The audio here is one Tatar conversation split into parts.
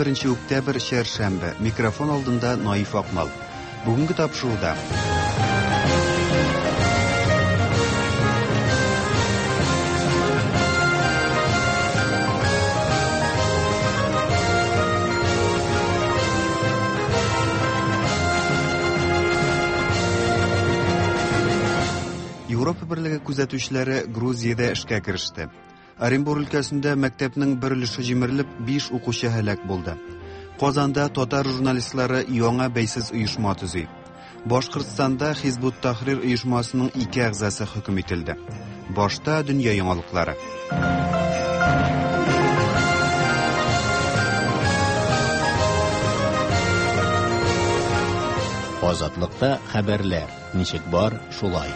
21 октябрь чәршәмбе. Микрофон алдында Наиф Акмал. Бүгенге тапшыруда Европа берлеге күзәтүчеләре Грузиядә эшкә кереште. Оренбур өлкәсендә мәктәпнең бер өлеше җимерелеп, 5 укучы һәлак булды. Казанда татар журналистлары яңа бәйсез оешма төзи. Башкортстанда Хизбут Тахрир оешмасының ике әгъзасы хөкем ителде. Башта дөнья яңалыклары. Азатлыкта хәбәрләр ничек бар, шулай.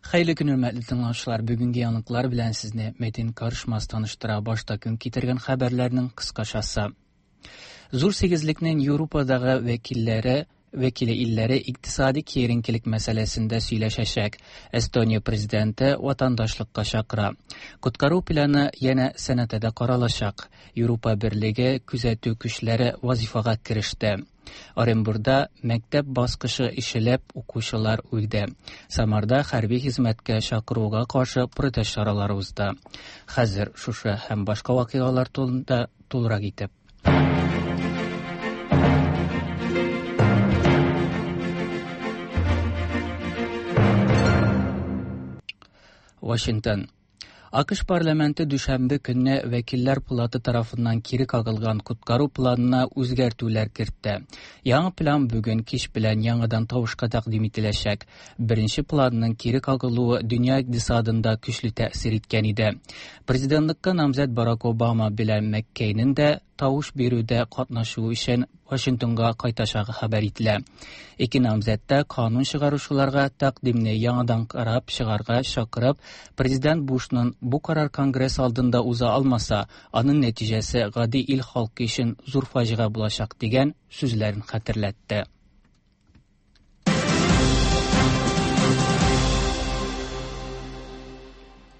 Хәерле көн, хөрмәтле тыңлаучылар. Бүгенге яңалыклар белән сезне Мәдин Карышмас таныштыра. Башта көн китергән хәбәрләрнең кыскачасы. Зур сигезлекнең Европадагы вәкилләре вәкиле илләре икътисади киеренкелек мәсьәләсендә сөйләшәчәк. Эстония президенты ватандашлыкка чакыра. Коткару планы янә сәнәтәдә каралачак. Европа берлеге күзәтү көчләре вазифага кереште. Оренбурда мәктәп баскычы ишелеп, укучылар үлде. Самарда хәрби хезмәткә чакыруга каршы протест чаралары узды. Хәзер шушы һәм башка вакыйгалар турында тулырак итеп. Вашингтон. АКШ парламенты дүшәмбе көнне вәкилләр палаты тарафыннан кире кагылган коткару планына үзгәртүләр кертте. Яңа план бүген кич белән яңадан тавышка тәкъдим ителәчәк. Беренче планның кире кагылуы дөнья икътисадында көчле тәэсир иткән иде. Президентлыкка намзәт Барак Обама белән Маккейнең дә тавыш бирүдә катнашу өчен Вашингтонга кайтачагы хәбәр ителә. Ике намзәт тә канун чыгаручыларга тәкъдимне яңадан карап чыгарга чакырып, президент Бушның бу карар Конгресс алдында уза алмаса, аның нәтиҗәсе гади ил халкы өчен зур фаҗига булачак дигән сүзләрен хәтерләтте.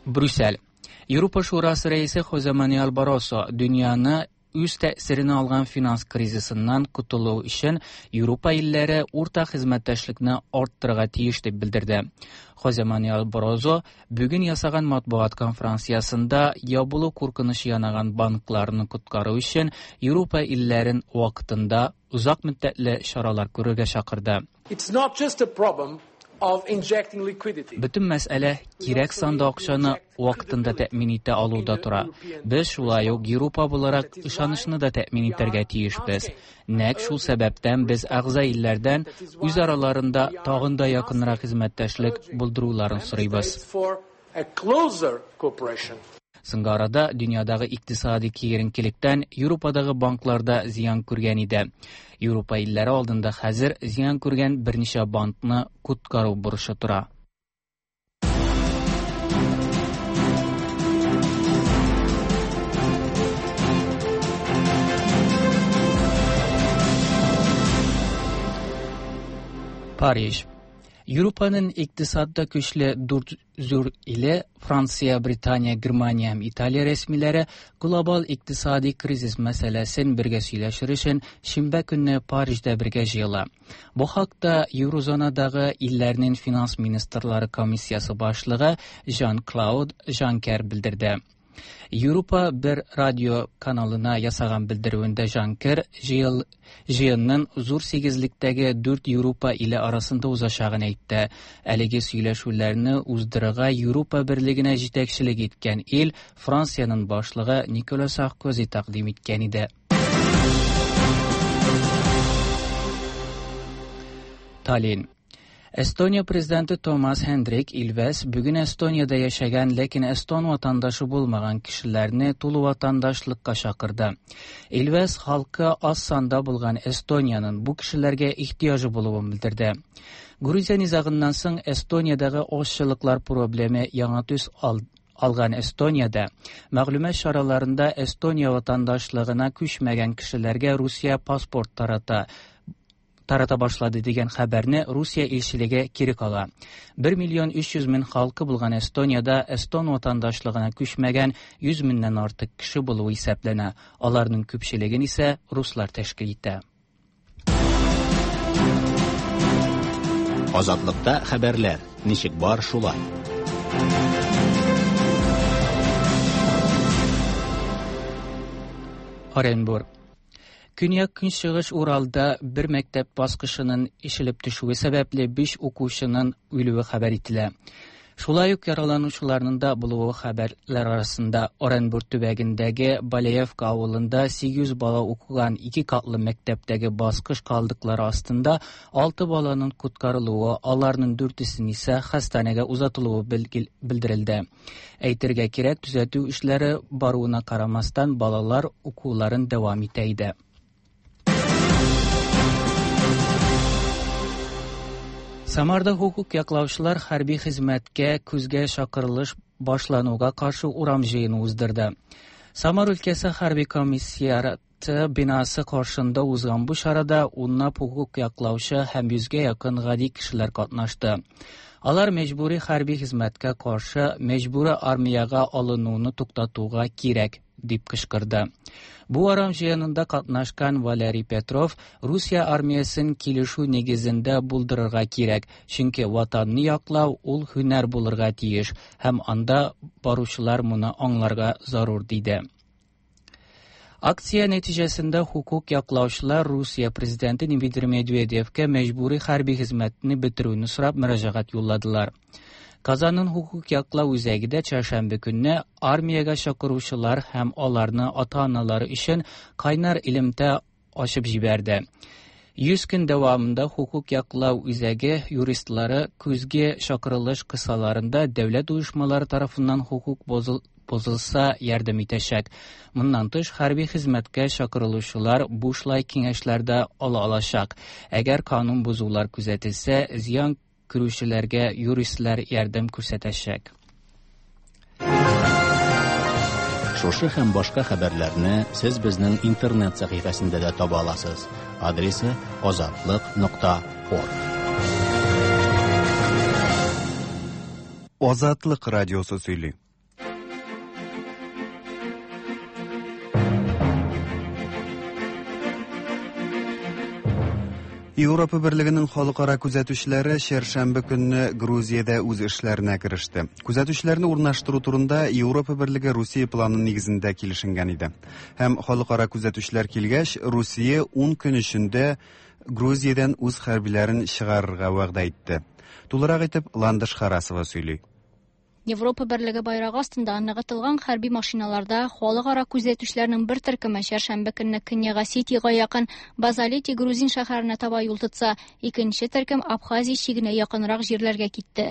Брюссель. Европа Шурасы рәисе Хозе Мануэль Барросо дөньяны үз тәэсиренә алган финанс кризисыннан котылу өчен Европа илләре уртак хезмәттәшлекне арттырырга тиеш дип белдерде. Хозе Мануэль Баррозо бүген ясаган матбугат конференциясендә ябылу куркынычы янаган банкларны коткару өчен Европа илләрен вакытында озак мөддәтле чаралар күрергә чакырды. It's not just a problem of injecting liquidity. Бөтен мәсьәлә кирәк санда акчаны вакытында тәэмин итә алуда тора. Без шулай ук Европа буларак ышанычны да тәэмин итәргә тиешбез. Нәкъ шул сәбәптән без әгъза илләрдән үз араларында тагын да якынрак хезмәттәшлек булдыруларын сорыйбыз. For a closer cooperation. Соңгы арада дөньядагы икътисади киеренкелектән Европадагы банкларда зыян күргән иде. Европа илләре алдында хәзер зыян күргән берничә банкны коткару бурычы тора. Париж. Европаның икътисадда көчле дүрт зур иле Франция, Британия, Германия һәм Италия рәсмиләре глобал икътисади кризис мәсьәләсен бергә сөйләшер өчен шимбә көнне Парижда бергә җыела. Бу хакта Еврозонадагы илләрнең финанс министрлары комиссиясе башлыгы Жан-Клауд Жанкер белдерде. Европа бер радио каналына ясаган белдерүендә Жанкер җыел җыенның зур сигезлектәге дүрт Европа иле арасында узачагын әйтте. Әлеге сөйләшүләрне уздырырга Европа берлегенә җитәкчелек иткән ил Франциянең башлыгы Никола Саркози тәкъдим иткән иде. Таллин. Эстония президенты Томас Хендрик Илвес бүген Эстониядә яшәгән, ләкин эстон ватандашы булмаган кешеләрне тулы ватандашлыкка чакырды. Илвес халкы аз санда булган Эстониянең бу кешеләргә ихтыяҗы булуын белдерде. Грузия низагыннан соң Эстониядәге азчылыклар проблемы яңа төс алган Эстониядә мәгълүмат чараларында Эстония ватандашлыгына күчмәгән кешеләргә Русия паспорт тарата. тарата башлады дигән хәбәрне Русия илчелеге кире кага. 1 миллион 300 мең халкы булган Эстониядә эстон ватандашлыгына күчмәгән 100 меңнән артык кеше булуы исәпләнә. Аларның күпчелеген исә руслар тәшкил итә. Азатлыкта хәбәрләр ничек бар шулай. Оренбург. Көньяк-көнчыгыш Уралда бер мәктәп баскычының ишелеп төшүе сәбәпле 5 укучының үлүе хәбәр ителә. Шулай ук яраланучыларның да булуы хәбәрләр арасында. Оренбург төбәгендәге Балеевка авылында 800 бала укыган ике катлы мәктәптәге баскыч калдыклары астында 6 баланың коткарылуы, аларның дүртесен исә хастаханәгә озатылуы белдерелде. Әйтергә кирәк, төзәтү эшләре баруына карамастан, балалар укуларын дәвам итә иде. Самарда хукук яклаучылар хәрби хезмәткә көзгә чакырылыш башлануга каршы урам җыены уздырды. Самар өлкәсе хәрби комиссиаты бинасы каршында узган бу чарада унлап хукук яклаучы һәм йөзгә якын гади кешеләр катнашты. Алар мәҗбүри хәрби хезмәткә каршы мәҗбүри армиягә алынуны туктатуга кирәк дип кычкырды. Бу урам җыенында катнашкан Валерий Петров Русия армиясен килешү нигезендә булдырырга кирәк, чөнки ватанны яклау ул һөнәр булырга тиеш һәм анда баручылар моны аңларга зарур диде. Акция нәтиҗәсендә хукук яклаучылар Русия президенты Дмитрий Медведевкә мәҗбүри хәрби хезмәтне бетерүне сорап мөрәҗәгать юлладылар. Казанның хукук яклау үзәге дә чәршәмбе көнне армиягә чакыручылар һәм аларны ата-аналары өчен кайнар элемтә ачып җибәрде. 100 көн дәвамында хукук яклау үзәге юристлары көзге чакырылыш кысаларында дәүләт оешмалары тарафыннан хукук бозылса ярдәм итәчәк. Моннан тыш, хәрби хезмәткә чакырылучылар бушлай киңәшләр дә ала алачак. Әгәр канун бозулар күзәтелсә, зыян күрүчеләргә юристлар ярдәм күрсәтәчәк. Шушы һәм башка хәбәрләрне сез безнең интернет сәхифәсендә дә таба аласыз. Адресы azatliq.org. Азатлык радиосы сөйли. Европа Берлегенең халыкара күзәтүчеләре чәршәмбе көнне Грузиядә үз эшләренә кереште. Күзәтүчеләрне урнаштыру турында Европа Берлеге Русия планы нигезендә килешенгән иде. Һәм халыкара күзәтүчеләр килгәч, Русия 10 көн эчендә Грузиядән үз хәрбиләрен чыгарырга вәгъдә итте. Тулырак итеп Ландыш Харасова сөйли. Европа Берлеге байрагы астында ныгытылган хәрби машиналарда халыкара күзәтүчеләрнең бер төркеме чәршәмбе көнне Көньяк Осетиягә якын Базалети грузин шәһәренә таба юл тотса, икенче төркем Абхазия чигенә якынрак җирләргә китте.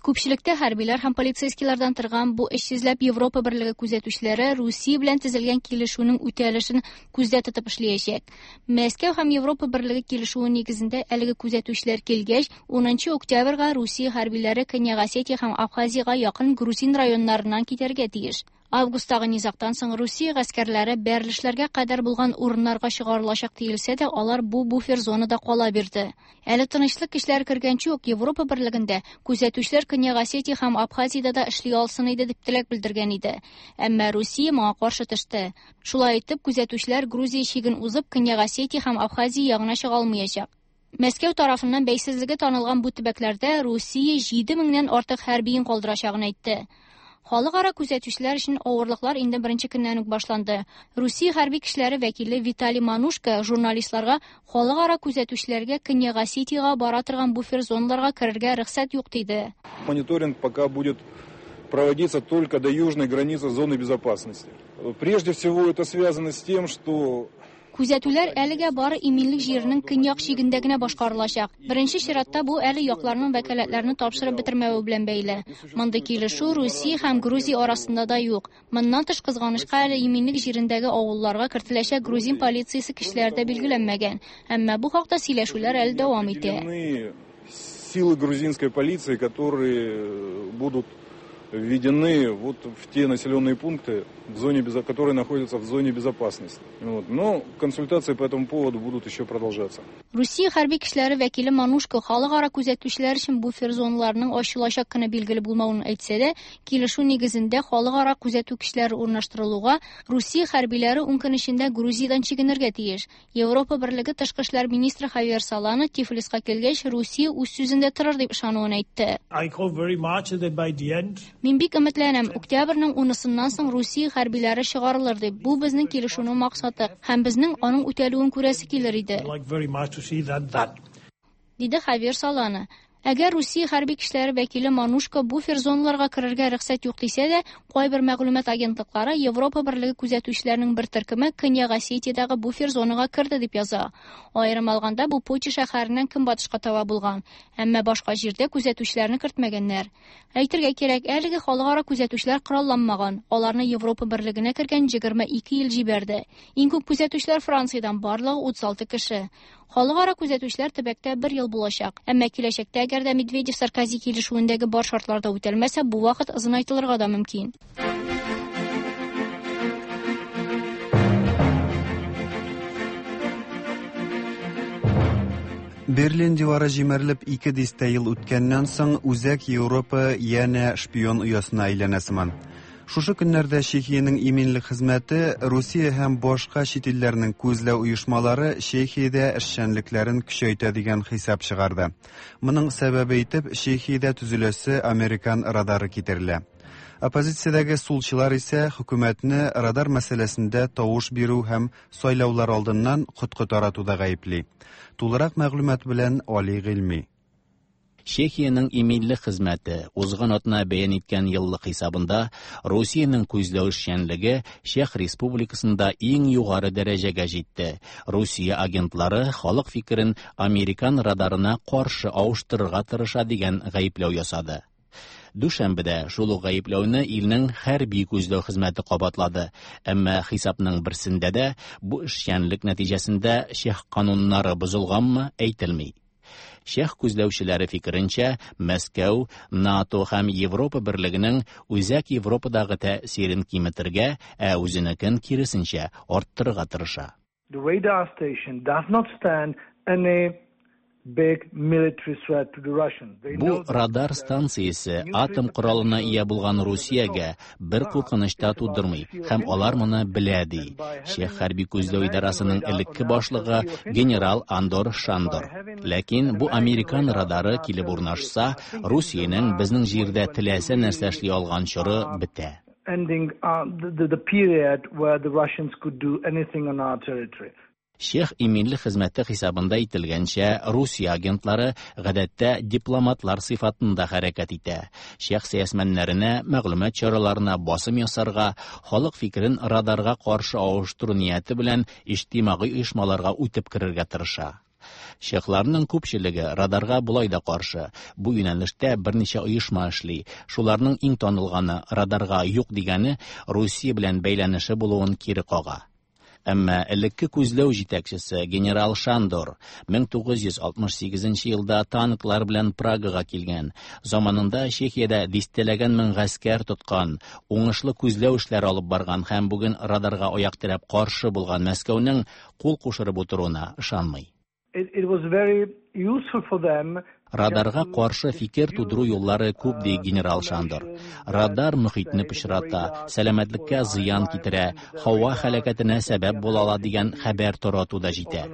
Күпчелектә хәрбиләр һәм полицейскийлардан торган бу 300ләп Европа Берлеге күзәтүчеләре Русия белән төзелгән килешүнең үтәлешен күздә тотып эшләячәк. Мәскәү һәм Европа Берлеге килешүе нигезендә әлеге күзәтүчеләр килгәч, 10 октябрьгә Русия хәрбиләре Көньяк Осетия һәм Абхазиягә якын грузин районнарыннан китәргә тиеш. Августтагы низактан соң Русия гаскәрләре бәрелешләргә кадәр булган урыннарга чыгарылачак диелсә дә, алар бу буфер зонада кала бирде. Әле тынычлык көчләре кергәнче үк Европа Берлегендә күзәтүчеләр Көньяк Осетия һәм Абхазиядә дә эшли алсын иде дип теләк белдергән иде. Әмма Русия моңа каршы төште. Шулай итеп, күзәтүчеләр Грузия чиген узып Көньяк Осетия һәм Абхазия ягына чыга алмаячак. Мәскәү тарафыннан бәйсезлеге танылган бу төбәкләрдә Русия 7000-нән артык хәрбиен калдырачагын әйтте. Халыкара күзәтүчеләр өчен авырлыклар инде беренче көннән үк башланды. Русия хәрби көчләре вәкиле Виталий Манушка журналистларга халыкара күзәтүчеләргә Көньяк Осетиягә бара торган буфер зоналарга керергә рөхсәт юк диде. Мониторинг пока будет проводиться только до южной границы зоны безопасности. Прежде всего это связано с тем, что Күзәтүләр әлегә бары иминлек җиренең көньяк чигендә генә башкарылачак. Беренче чиратта бу әле якларның вәкаләтләрен тапшырып бетермәве белән бәйле. Мондый килешү Русия һәм Грузия арасында да юк. Моннан тыш, кызганычка, әле иминлек җирендәге авылларга кертеләчәк грузин полициясе көчләре дә билгеләнмәгән. Әмма бу хакта сөйләшүләр әле дәвам итә. Силы грузинской полиции, которые будут введены вот в те населенные пункты, в зоне, которые находятся в зоне безопасности. Вот. Но консультации по этому поводу будут еще продолжаться. Русия хәрби көчләре вәкиле Манушко халыкара күзәтүчеләр өчен буфер зоналарының ачылачак көне билгеле булмавын әйтсә дә, килешү нигезендә халыкара күзәтү көчләре урнаштырылуга Русия хәрбиләре 10 көн эчендә Грузиядән чигенергә тиеш. Европа Берлеге тышкы эшләр министры Хавьер Солана Тифлиска килгәч, Русия үз сүзендә торыр дип ышануын әйтте. Мин бик өметләнәм, октябрьнең 10-сыннан соң Русия хәрбиләре чыгарылыр дип. Бу безнең килешүнең максаты һәм безнең аның үтәлүен күрәсе килер иде. Диде Хавьер Солана. Әгәр Русия хәрби көчләре вәкиле Манушко буфер зоналарга керергә рөхсәт юк дисә дә, кайбер мәгълүмат агентлыклары Европа Берлеге күзәтүчеләренең бер төркеме Көньяк Осетиядәге буфер зонага керде дип яза. Аерым алганда, бу Поти шәһәреннән көнбатышка таба булган, әмма башка җирдә күзәтүчеләрне кертмәгәннәр. Әйтергә кирәк, әлеге халыкара күзәтүчеләр коралланмаган. Аларны Европа Берлегенә кергән 22 ил җибәрде. Иң күп күзәтүчеләр Франциядән, барлыгы 36 кеше. Халыкара күзәтүчеләр төбәктә бер ел булачак. Әмма киләчәктә, әгәр дә Медведев-Саркози килешүендәге бар шартлар да үтәлмәсә, бу вакыт озынайтылырга да мөмкин. Берлин дивары җимерелеп 2 дистә ел үткәннән соң, Үзәк Европа янә шпион оясына әйләнә сыман. Шушы көннәрдә Чехиянең иминлек хезмәте Русия һәм башка чит илләрнең күзләү оешмалары Чехиядә эшчәнлекләрен көчәйтә дигән хисап чыгарды. Моның сәбәбе итеп Чехиядә төзеләсе американ радары китерелә. Оппозициядәге сулчылар исә хөкүмәтне радар мәсьәләсендә тавыш бирү һәм сайлаулар алдыннан коткы таратуда гаепли. Тулырак мәгълүмат белән Али Гыйльми. Чехиянең иминлек хезмәте узган атна бәян иткән еллык хисабында Русиянең күзләү эшчәнлеге Чех Республикасында иң югары дәрәҗәгә җитте. Русия агентлары халык фикерен американ радарына каршы авыштырырга тырыша дигән гаепләү ясады. Дүшәмбедә шул ук гаепләүне илнең хәрби күзләү хезмәте кабатлады. Әмма хисапның берсендә дә бу эшчәнлек нәтиҗәсендә чех кануннары бозылганмы әйтелми. Чех күзләүчеләре фикеренчә, Мәскәү, НАТО һәм Европа берлегенең Үзәк Европадагы тәэсирен киметергә, ә үзенекен киресенчә арттырырга тырыша. The radar station does not stand any big military threat to the Russians. Бу радар станциясе атом коралына ия булган Русиягә бер куркыныч та тудырмый һәм алар моны белә, ди Чех хәрби күзләү идарәсенең элекке башлыгы генерал Андор Шандор. Ләкин бу американ радары килеп урнашса, Русиянең безнең җирдә теләсә нәрсә эшли алган чоры бетә. Ending the period where the Russians could do anything on our territory. Чех иминлек хезмәте хисабында әйтелгәнчә, Русия агентлары гадәттә дипломатлар сыйфатында хәрәкәт итә. Чех сәясмәннәренә, мәгълүмат чараларына басым ясарга, халык фикерен радарга каршы авыштыру нияте белән иҗтимагый оешмаларга үтеп керергә тырыша. Чехларның күпчелеге радарга болай да каршы. Бу юнәлештә берничә оешма эшли. Шуларның иң танылганы радарга юк дигәне Русия белән бәйләнеше булуын кире кага. Әмма элекке күзләү җитәкчесе генерал Шандор 1968 елда танклар белән Прагага килгән. Заманында Чехиядә дистәләгән мең гаскәр тоткан, уңышлы күзләү эшләре алып барган һәм бүген радарга аяк терәп каршы булган Мәскәүнең кул кушырып утыруына ышанмый. It was very useful for them. Радарга каршы фикер тудыру юллары күп, ди генерал Шандор. Радар мөхитне пычрата, сәламәтлеккә зыян китерә, һава һәлакәтенә сәбәп була ала дигән хәбәр тарату да җитә.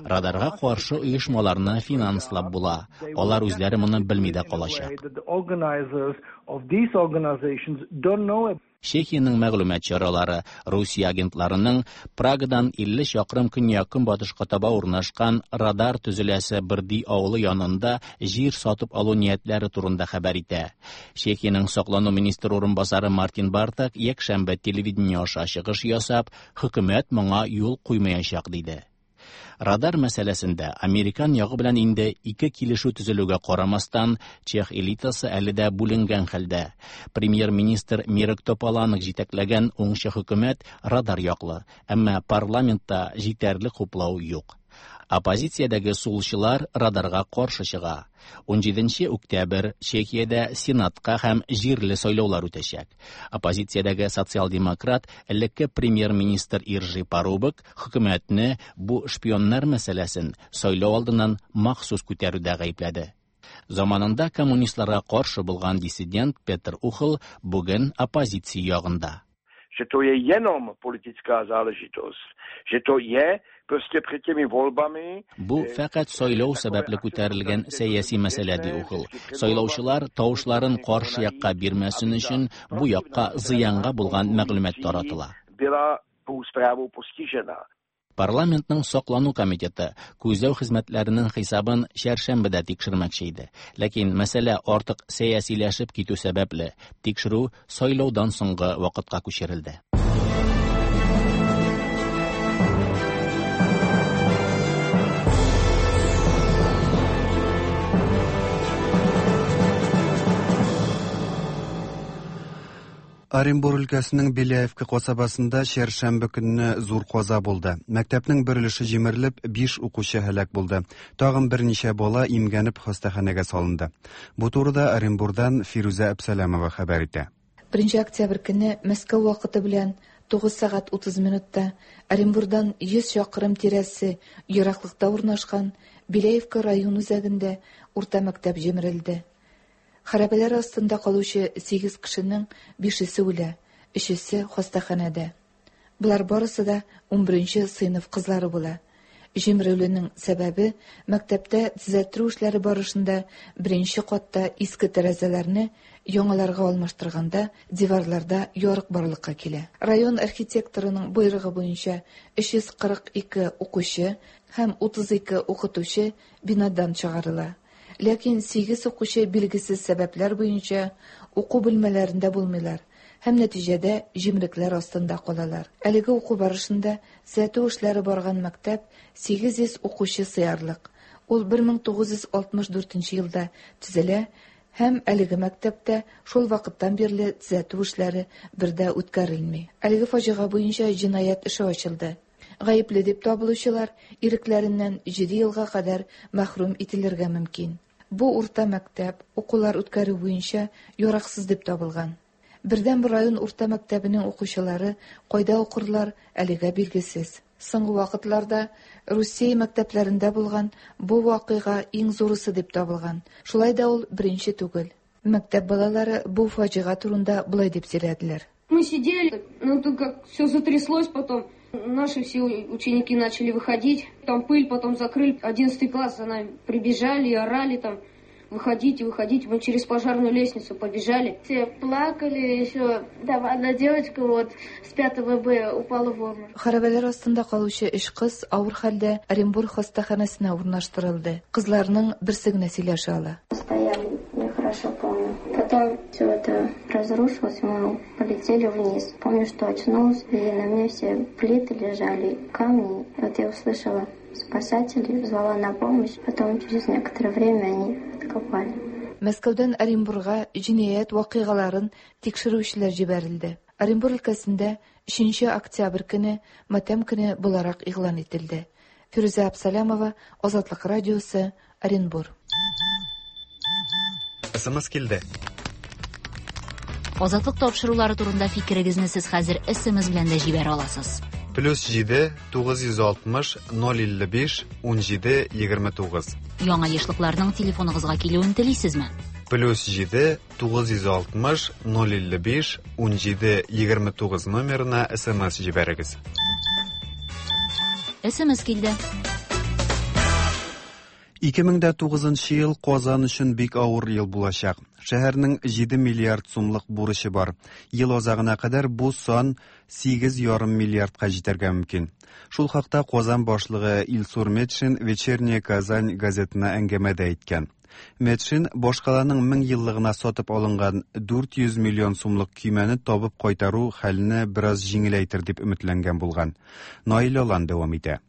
Радарга каршы оешмаларны финанслап була. Алар үзләре моны белми дә калачак. The organizers of these organizations don't know. Чехиянең мәгълүмат чаралары Русия агентларының Прагадан 50 чакрым көньяк-көнбатышка таба урнашкан радар төзеләсе Брди авылы янында җир сатып алу ниятләре турында хәбәр итә. Чехиянең саклану министры урынбасары Мартин Бартак якшәмбе телевидение аша чыгыш ясап, хөкүмәт моңа юл куймаячак диде. Радар мәсьәләсендә американ ягы белән инде ике килешү төзелүгә карамастан, чех элитасы әле дә бүленгән хәлдә. Премьер-министр Мирек Тополанек җитәкләгән уңчы хөкүмәт радар яклы, әмма парламентта җитәрлек хуплау юк. Оппозициядәге сулчылар радарга каршы чыга. 17 октябрь Чехиядә Сенатка һәм җирле сайлаулар үтәчәк. Оппозициядәге социал-демократ элекке премьер-министр Иржи Парубок хөкүмәтне бу шпионнар мәсьәләсен сайлау алдыннан махсус күтәрүдә гаепләде. Заманында коммунистларга каршы булган диссидент Петр Ухл бүген оппозиция ягында. Že to je jenom politická záležitost, že to je prostě před těmi volbami. Бу фәкать сайлау сәбәпле күтәрелгән сәяси мәсьәлә, ди Ухл. Сайлаучылар тавышларын каршы якка бирмәсен өчен бу якка зыянга булган мәгълүмат таратыла. Была tou zprávou postižena. Парламентның саклану комитеты күзләү хезмәтләренең хисабын чәршәмбедә тикшермәкче иде. Ләкин мәсьәлә артык сәясиләшеп китү сәбәпле, тикшерү сайлаудан соңгы вакытка күчерелде. Оренбур өлкәсенең Беляевка касабасында чәршәмбе көнне зур каза булды. Мәктәпнең бер өлеше җимерелеп, 5 укучы һәлак булды. Тагын берничә бала имгәнеп хастаханәгә салынды. Бу турыда Оренбурдан Фирүзә Әбсәләмова хәбәр итә. 1 октябрь көне Мәскәү вакыты белән 9 сәгать 30 минутта Оренбурдан 100 чакрым тирәсе ераклыкта урнашкан Беляевка район үзәгендә урта мәктәп җимерелде. Хәрабәләр астында калучы 8 кешенең 5-есе үлә, 3-есе хастаханәдә. Болар барысы да 11 сыйныф кызлары була. Җимерелүнең сәбәбе мәктәптә төзәттерү эшләре барышында беренче катта иске тәрәзәләрне яңаларга алмаштырганда диварларда ярык барлыкка килә. Район архитекторының боерыгы буенча 342 укучы һәм 32 укытучы бинадан чыгарыла. Ләкин 8 укучы билгесез сәбәпләр буенча уку бүлмәләрендә булмыйлар һәм нәтиҗәдә җимрекләр астында калалар. Әлеге уку барышында төзәтү эшләре барган мәктәп 800 укучы сыярлык. Ул 1964 елда төзелә һәм әлеге мәктәптә шул вакыттан бирле төзәтү эшләре бер дә үткәрелми. Әлеге фаҗига буенча җинаять эше ачылды. Гаепле дип табылучылар ирекләреннән 7 елга кадәр мәхрүм ителергә мөмкин. Бу урта мәктәп укулар үткәрү буенча яраксыз дип табылган. Бердән-бер район урта мәктәбенең укучылары кайда укырлар әлегә билгесез. Соңгы вакытларда Русия мәктәпләрендә булган бу вакыйга иң зурысы дип табылган. Шулай да ул беренче түгел. Мәктәп балалары бу фаҗига турында болай дип сөйләделәр. Мы сидели, ну тут как все затряслось потом. Наши все ученики начали выходить, там пыль потом закрыли. 11 класс за нами прибежали и орали там: выходите, выходите. Мы через пожарную лестницу побежали. Все плакали, еще там одна девочка вот с 5 Б упала в обморок. Хәрабәләр астында калучы өч кыз авыр хәлдә Оренбург хастаханәсенә урнаштырылды. Кызларның берсе генә сөйләшә ала. Стояли, я хорошо помню. Потом все это разрушилось, мы полетели вниз. Помню, что очнулась, и на мне все плиты лежали, камни. Вот я услышала спасателей, звала на помощь. Потом через некоторое время они откопали. Мәскәүдән Оренбурга җинаять вакыйгаларын тикшерүчеләр җибәрелде. Оренбур өлкәсендә 3 октябрь көне матәм көне буларак игълан ителде. Фирүзә Абсалямова, Азатлык радиосы, Оренбур. СМС килде. Азатлык тапшырулары турында фикерегезне сез хәзер СМС белән дә җибәрә аласыз. Плюс 7 960 055 17 29. Яңа ешлыкларның телефоныгызга килүен телисезме? Плюс 7 960 055 17 29 номерына СМС җибәрегез. СМС килде. 2009 ел Казан өчен бик авыр ел булачак. Шәһәрнең 7 миллиард сумлык бурычы бар. Ел азагына кадәр бу сан 8,5 миллиардка җитәргә мөмкин. Шул хакта Казан башлыгы Илсур Метшин Вечерняя Казань газетына әңгәмәдә әйткән. Метшин башкаланың 1000 еллыгына сатып алынган 400 миллион сумлык көймәне табып кайтару хәлне бераз җиңеләйтер дип өметләнгән булган. Наил Алан дәвам итә.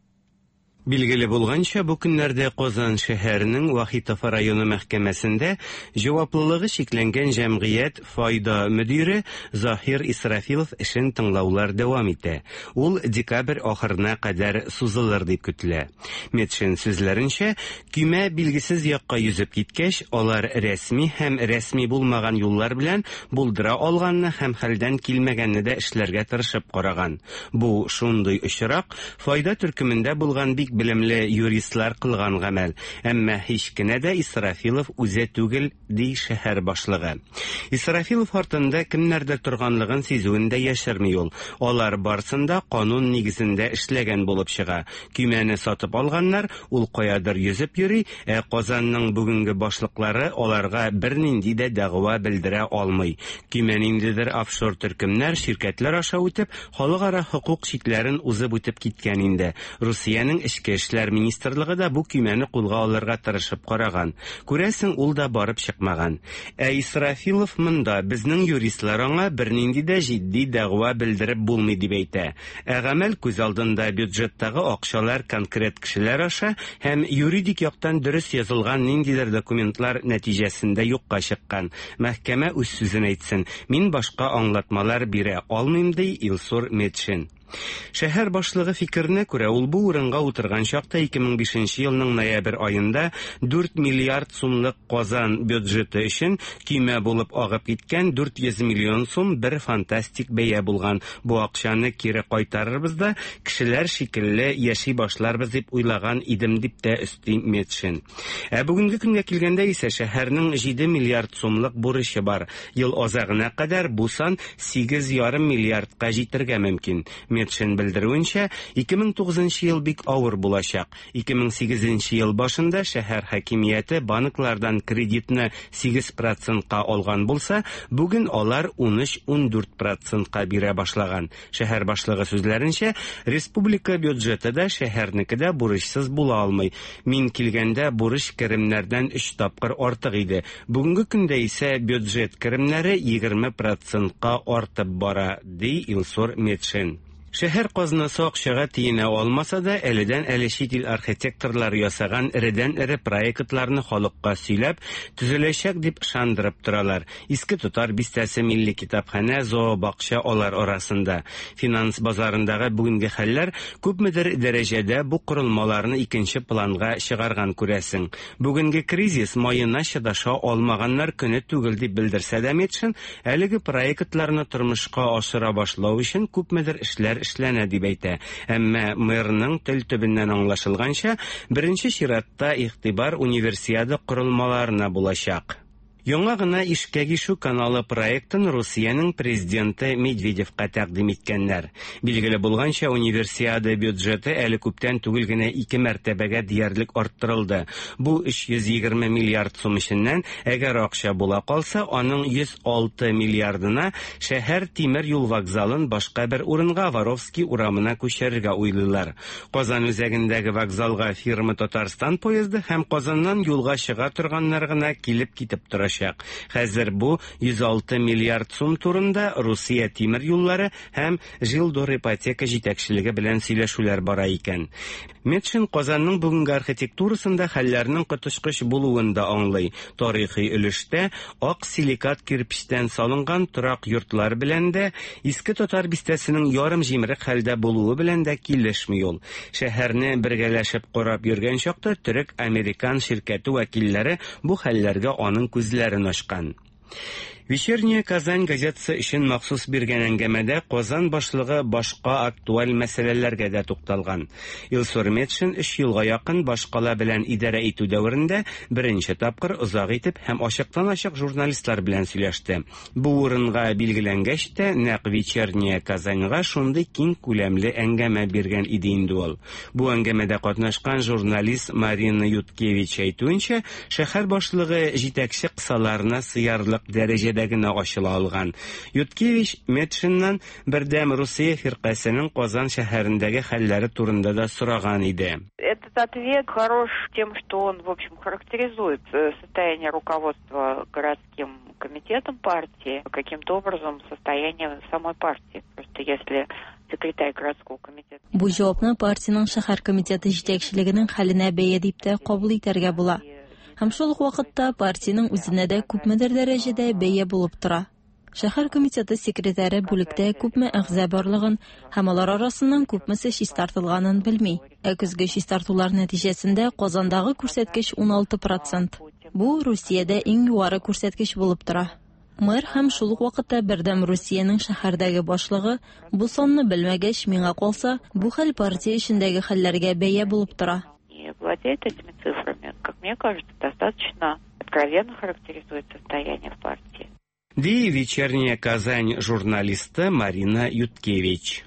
Билгеле булганча, бу көннәрдә Казан шәһәренең Вахитов районы мәхкәмәсендә җаваплылыгы чикләнгән җәмгыять Файда мөдире Заһир Исрафилов эшен тыңлаулар дәвам итә. Ул декабрь ахырына кадәр сузылыр дип көтелә. Метшин сүзләренчә, көймә билгесез якка йөзеп киткәч, алар рәсми һәм рәсми булмаган юллар белән булдыра алганны һәм хәлдән килмәгәнне дә эшләргә тырышып караган. Бу шундый очрак, Файда төркемендә булган бик белемле юристлар кылган гамәл, әмма һич кенә дә Исрафилов үзе түгел, ди шәһәр башлыгы. Исрафилов артында кемнәрдер торганлыгын сизүен дә яшерми ул. Алар барсын да канун нигезендә эшләгән булып чыга. Көймәне сатып алганнар, ул каядыр йөзеп йөри, ә Казанның бүгенге башлыклары аларга бернинди дә дәгъва белдерә алмый. Көймә ниндидер офшор төркемнәр, ширкәтләр аша үтеп, Халыкара хокук чикләрен узып үтеп киткән инде. Русиянең Эчке эшләр министрлыгы да бу көймәне кулга алырга тырышып караган. Күрәсең, ул да барып чыкмаган. Ә Исрафилов монда, безнең юристлар аңа бернинди дә җитди дәгъва белдереп булмый дип әйтә. Ә гамәл күз алдында бюджеттагы акчалар конкрет кешеләр аша һәм юридик яктан дөрес язылган ниндидер документлар нәтиҗәсендә юкка чыккан. Мәхкәмә үз сүзен әйтсен. Мин башка аңлатмалар бирә алмыйм, ди Илсур Метшин. Шәһәр башлыгы фикеренә күрә, ул бу урынга утырган чакта 2005 елның ноябрь аенда 4 миллиард сумлык Казан бюджеты өчен көймә булып агып киткән 400 миллион сум бер фантастик бәя булган. Бу акчаны кире кайтарырбыз да, кешеләр шикелле яши башларбыз дип уйлаган идем, дип тә өсти Метшин. Ә бүгенге көнгә килгәндә исә шәһәрнең 7 миллиард сумлык бурычы бар. Ел азагына кадәр бу сан 8,5 миллиардка җитәргә мөмкин. Метшин белдерүенчә, 2009 ел бик авыр булачак. 2008 ел башында шәһәр хакимияте банклардан кредитны 8 процентка алган булса, бүген алар 13-14 процентка бирә башлаган. Шәһәр башлыгы сүзләренчә, республика бюджеты да, шәһәрнеке дә бурычсыз була алмый. Мин килгәндә бурыч керемнәрдән өч тапкыр артык иде. Бүгенге көндә исә бюджет керемнәре 20 процентка артып бара, ди Илсур Метшин. Шәһәр казнасы акчага тиенә алмаса да, әледән-әле чит ил архитекторлары ясаган эредән-эре проектларны халыкка сөйләп, төзеләчәк дип ышандырып торалар. Иске Тотар бистәсе, Милли китапханә, зообакча алар арасында. Финанс базарындагы бүгенге хәлләр күпмедер дәрәҗәдә бу корылмаларны икенче планга чыгарган күрәсең. Бүгенге кризис маена чыдаша алмаганнар көне түгел дип белдерсә дә Метшин, әлеге проектларны тормышка ашыра башлау өчен күпмедер эшләр эшләнә дип әйтә. Әмма мэрның тел төбеннән аңлашылганча, беренче чиратта игътибар Универсиада корылмаларына булачак. Яңа гына Ишкәк ишү каналы проектын Русиянең президенты Медведевка тәкъдим иткәннәр. Билгеле булганча, Универсиада бюджеты әле күптән түгел генә ике мәртәбәгә диярлек арттырылды. Бу 320 миллиард сум эченнән, әгәр акча була калса, аның 106 миллиардына шәһәр тимер юл вокзалын башка бер урынга, Воровский урамына күчерергә уйлыйлар. Казан үзәгендәге вокзалга фирма Татарстан поезды һәм Казаннан юлга чыга торганнар гына килеп-китеп торачак. Хәзер бу 106 миллиард сум турында Русия тимер юллары һәм Жилдорипотека җитәкчелеге белән сөйләшүләр бара икән. Метшин Казанның бүгенге архитектурасында хәлләрнең коточкыч булуын да аңлый. Тарихи өлештә ак силикат кирпечтән салынган торак йортлар белән дә, Иске Татар бистәсенең ярым җимерек хәлдә булуы белән дә килешми ул. Шәһәрне бергәләшеп карап йөргән чакта төрек-американ ширкәте вәкилләре бу хәлләргә аның күзләрен ачкан. Вечерняя Казань газетасы өчен махсус биргән әңгәмәдә Казан башлыгы башка актуаль мәсьәләләргә дә тукталган. Илсур Метшин өч елга якын башкала белән идарә итү дәверендә беренче тапкыр озак итеп һәм ачыктан-ачык журналистлар белән сөйләште. Бу урынга билгеләнгәч тә, нәкъ Вечерняя Казаньга шундый киң күләмле әңгәмә биргән иде инде ул. Бу әңгәмәдә катнашкан журналист Марина Юткевич әйтүенчә, шәһәр башлыгы җитәкче кысаларына сыярлык дәрәҗәдә генә ачыла алган. Юткевич Метшиннан Бердәм Русия фиркасенең Казан шәһәрендәге хәлләре турында да сораган иде. Этот ответ хорош тем, что он, в общем, характеризует э, состояние руководства городским комитетом партии, каким-то образом состояние самой партии. Просто если секретарь городского комитета. Бу җавапны партиянең шәһәр комитеты җитәкчелегенең хәленә бәя дип тә кабул итәргә була. Һәм шул ук вакытта партиянең үзенә дә күпмедер дәрәҗәдә бәя булып тора. Шәһәр комитеты секретаре бүлектә күпме әгъза барлыгын һәм алар арасыннан күпмесе чистартылганын белми. Ә көзге чистартулар нәтиҗәсендә Казандагы күрсәткеч 16%. Бу Русиядә иң югары күрсәткеч булып тора. Мэр һәм шул ук вакытта Бердәм Русиянең шәһәрдәге башлыгы бу санны белмәгәч, миңа калса, бу хәл партия эчендәге хәлләргә бәя булып тора. Не владеет этими цифрами, как мне кажется, достаточно откровенно характеризует состояние в партии. Ди Вечерняя Казань журналисты Марина Юткевич.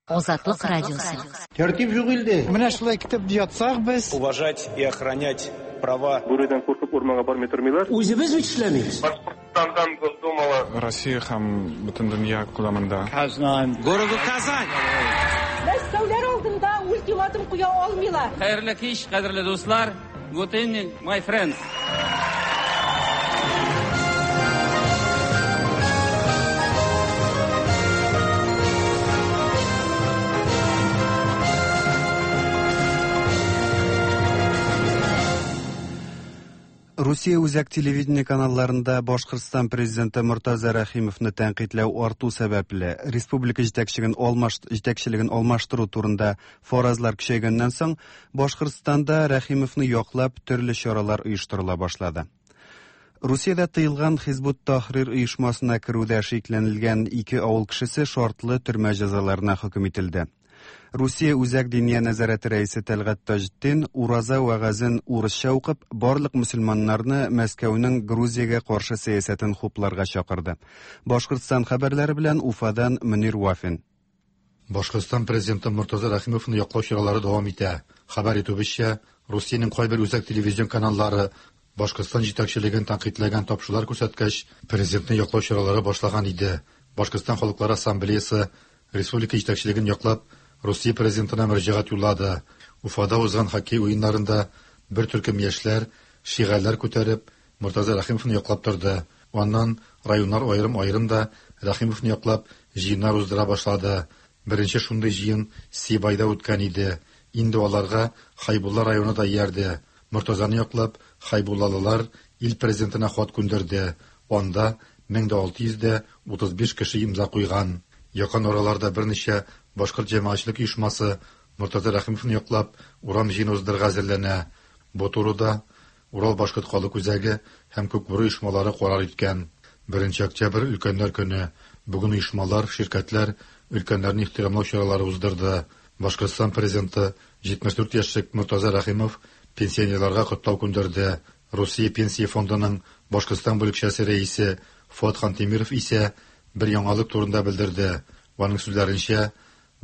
Азатлык радиосы. Тәртип юк илдә. Менә шулай китеп ятсак без. Уважать и охранять права. Бүредән куркып урманга бармый тормыйлар. Үзебез бит эшләмибез. Башкортстандан Госдумала. Россия һәм бөтен дөнья күләмендә. Казан. Городу Казань. Мәскәүләр алдында ультиматум куя алмыйлар. Хәерле кич, кадерле дуслар. Good evening, my friends. Русия үзәк телевидение каналларында Башкортстан президенты Мортаза Рәхимовны тәнкыйтьләү арту сәбәпле, республика җитәкчелеген алмаш җитәкчелеген алмаштыру турында фаразлар көчәйгәннән соң, Башкортстанда Рәхимовны яклап төрле чаралар оештырыла башлады. Русиядә тыелган Хизбут Тахрир оешмасына керүдә шикләнелгән ике авыл кешесе шартлы төрмә җәзаларына хөкем ителде. Русия Үзәк Диния нәзарәте рәисе Тәлгать Таҗетдин ураза вәгазен урысча укып, барлык мөселманнарны Мәскәүнең Грузиягә каршы сәясәтен хупларга чакырды. Башкортстан хәбәрләре белән Уфадан Мөнир Вафин. Башкортстан президенты Мортаза Рәхимовны яклау чаралары дәвам итә. Хәбәр итүебезчә, Русиянең кайбер үзәк телевизион каналлары Башкортстан җитәкчелеген тәнкыйтьләгән тапшырулар күрсәткәч, президентны яклау чаралары башлаган иде. Башкортстан халыклары ассамблеясы республика җитәкчелеген яклап, Русия президентына мөрәҗәгать юллады. Уфада узган хоккей уеннарында бер төркем яшьләр, шигарләр күтәреп, Мортаза Рәхимовны яклап торды. Аннан районнар аерым-аерым да Рәхимовны яклап җыеннар уздыра башлады. Беренче шундый җыен Сибайда үткән иде. Инде аларга Хайбулла районы да иярде. Мортазаны яклап, хайбуллалылар ил президентына хат күндерде. Анда 1635 кеше имза куйган. Якын араларда берничә башкорт җәмәгатьчелек оешмасы Мортаза Рәхимовны яклап урам җыены уздырырга әзерләнә. Бу турыда Урал башкорт халык үзәге һәм Күкбүре оешмалары карар иткән. 1 октябрь өлкәннәр көне. Бүген оешмалар, ширкәтләр өлкәннәрне ихтирамлау чаралары уздырды. Башкортстан президенты 74 яшьлек Мортаза Рәхимов пенсионерларга котлау күндерде. Русия пенсия фондының Башкортстан бүлекчәсе рәисе Фуат Хантимиров исә бер яңалык турында белдерде. Аның сүзләренчә,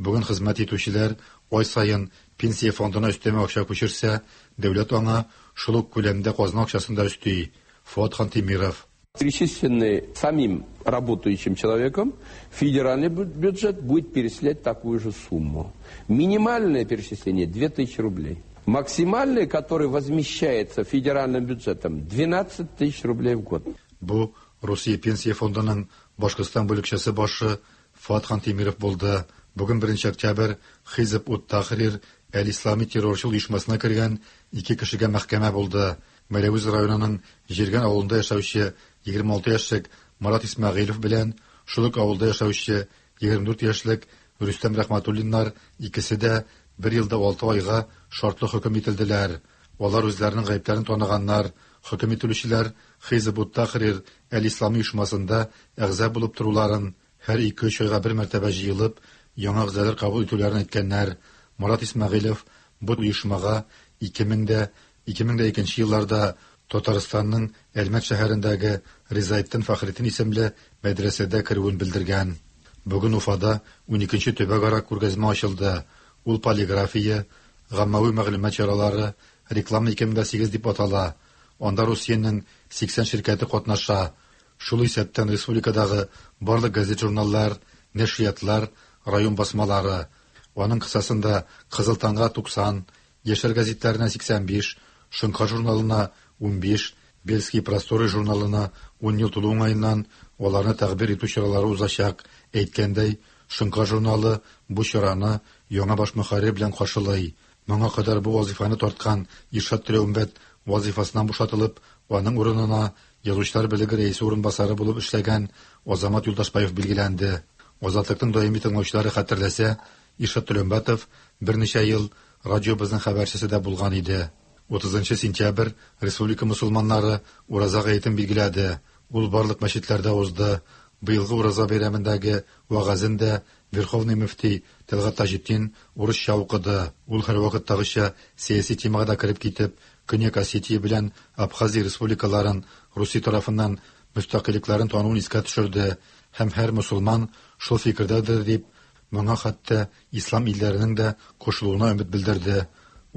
бүген хезмәт итүчеләр ай саен пенсия фондына өстәмә акча күчерсә, дәүләт аңа шул ук күләмдә казна акчасын да өсти. Фуат Хантимиров. Перечисленный самим работающим человеком, федеральный бюджет будет перечислять такую же сумму. Минимальное перечисление 2000 рублей. Максимальное, которое возмещается федеральным бюджетом, 12 тысяч рублей в год. Бу Русия пенсия фондының Башкортстан бүлекчәсе башы Фуат Хантимиров булды. Бүген 1 октябрь Хизб ут-Тахрир әл-Ислами террорчыл оешмасына кергән ике кешегә мәхкәмә булды. Мәләвез районының Җиргән авылында яшәүче 26 яшьлек Марат Исмәгыйлев белән шул ук авылда яшәүче 24 яшьлек Рөстәм Рәхмәтуллиннар икесе дә бер елда 6 айга шартлы хөкем ителделәр. Алар үзләренең гаепләрен таныганнар. Хөкем ителүчеләр Хизб ут-Тахрир әл-Ислами оешмасында әгъза булып торуларын, һәр 2-3 айга бер мәртәбә җыелып, яңа әгъзалар кабул итүләрен әйткәннәр. Марат Исмәгыйлев бу оешмага 2000-2002 елларда Татарстанның Әлмәт шәһәрендәге Ризаэддин Фәхретдин исемле мәдрәсәдә керүен белдергән. Бүген Уфада 12нче төбәкара күргәзмә ачылды. Ул полиграфия, гаммәви мәгълүмат чаралары, реклама 2008 дип атала. Анда Русиянең 80 ширкәте катнаша. Шул исәптән республикадагы барлык газет-журналлар, нәшриятлар, район басмалары. Аның кысасында Кызыл таңга 90, Яшьләр гәзитләренә 85, Шоңкар журналына 15, Бельские просторы журналына 10 ел тулу уңаеннан аларны тәкъбир итү чаралары узачак. Әйткәндәй, Шоңкар журналы бу чараны яңа баш мөхәррир белән каршылый. Моңа кадәр бу вазыйфаны тарткан Иршат Теләүмбәт вазыйфасыннан бушатылып, аның урынына Язучылар берлеге рәисе урынбасары булып эшләгән Азамат Юлдашбаев билгеләнде. Азатлыкның даими тыңлаучылары хәтерләсә, Иршат Төләүмбәтов берничә ел радиобызның хәбәрчесе дә булган иде. 30 сентябрь республика мөселманнары Ураза гаетен билгеләде. Ул барлык мәчетләрдә узды. Быелгы Ураза бәйрәмендәге вәгазен дә Верховный мөфти Тәлгать Таҗетдин урысча укыды. Ул һәрвакыттагыча сәяси темага да кереп китеп, Көньяк Осетия белән Абхазия республикаларын Русия тарафыннан мөстәкыйльлекләрен тануын искә төшерде һәм һәр мөселман шул фикердәдер дип, моңа хәтта ислам илләренең дә кушылуына өмет белдерде.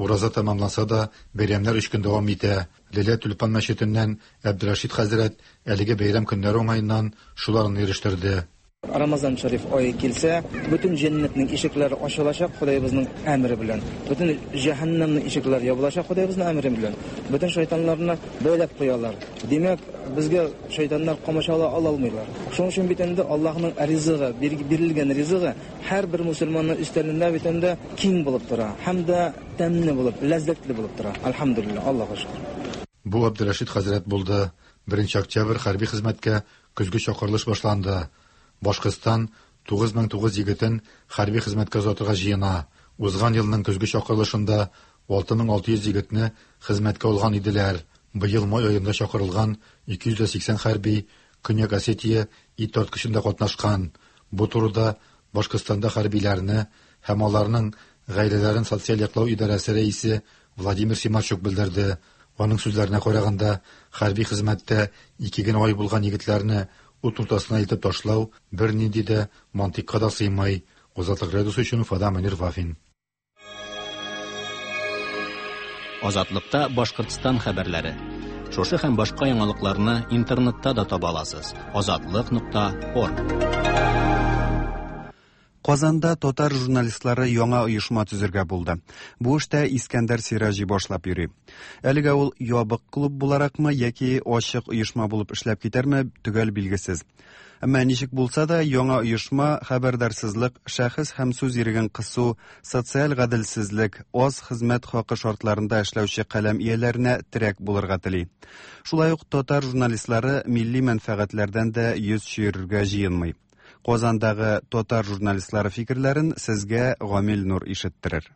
Ураза тәмамланса да, бәйрәмнәр өч көн дәвам итә. Ләлә Тюльпан мәчетеннән Әбделрәшит хәзрәт әлеге бәйрәм көннәре уңаеннан шуларны ирештерде. Рамазан шәриф ае килсә, бөтен җәннәтнең ишекләре ачылачак Ходаебызның әмере белән. Бөтен җәһәннәмнең ишекләре ябылачак Ходаебызның әмере белән. Бөтен шайтаннарны бәйләп куялар. Димәк, безгә шайтаннар комачаулый ала алмыйлар. Шуның өчен бит инде Аллаһның ризыгы, бирелгән ризыгы һәрбер мусульманның өстәлендә бит инде киң булып тора һәм дә тәмле булып, ләззәтле булып тора. Әлхәмдүлилләһ, Аллага шөкер. Бу Абделрәшит хәзрәт булды. Беренче октябрь хәрби хезмәткә көзге чакырылыш башланды. Башкортстан 9900 егетен хәрби хезмәткә озатырга җыена. Узган елның көзге чакырылышында 6600 егетне хезмәткә алган иделәр. Быел май аенда чакырылган 280 хәрби Көньяк Осетия ит тарткычында катнашкан. Бу турыда Башкортстанда хәрбиләрне һәм аларның гаиләләрен социаль яклау идарәсе рәисе Владимир Симарчук белдерде. Аның сүзләренә караганда, хәрби хезмәттә ике генә ай булган егетләрне ут уртасына илтеп ташлау бернинди дә мантыйкка да сыймый. Азатлык радиосы өчен Уфадан Мөнир Вафин. Азатлыкта Башкортстан хәбәрләре. Шушы һәм башка яңалыкларны интернетта да таба аласыз. Азатлык.орг. Казанда татар журналистлары яңа оешма төзергә булды. Бу эштә Искәндәр Сираҗи башлап йөри. Әлегә ул ябык клуб буларакмы яки ачык оешма булып эшләп китәрме, төгәл билгесез. Әмма ничек булса да, яңа оешма хәбәрдарсызлык, шәхес һәм сүз иреген кысу, социаль гаделсезлек, аз хезмәт хакы шартларында эшләүче каләм ияләренә терәк булырга тели. Шулай ук татар журналистлары милли мәнфәгатьләрдән дә йөз чөерергә җыенмый. Казандагы татар журналистлары фикерләрен сезгә Гамил Нур ишеттерер.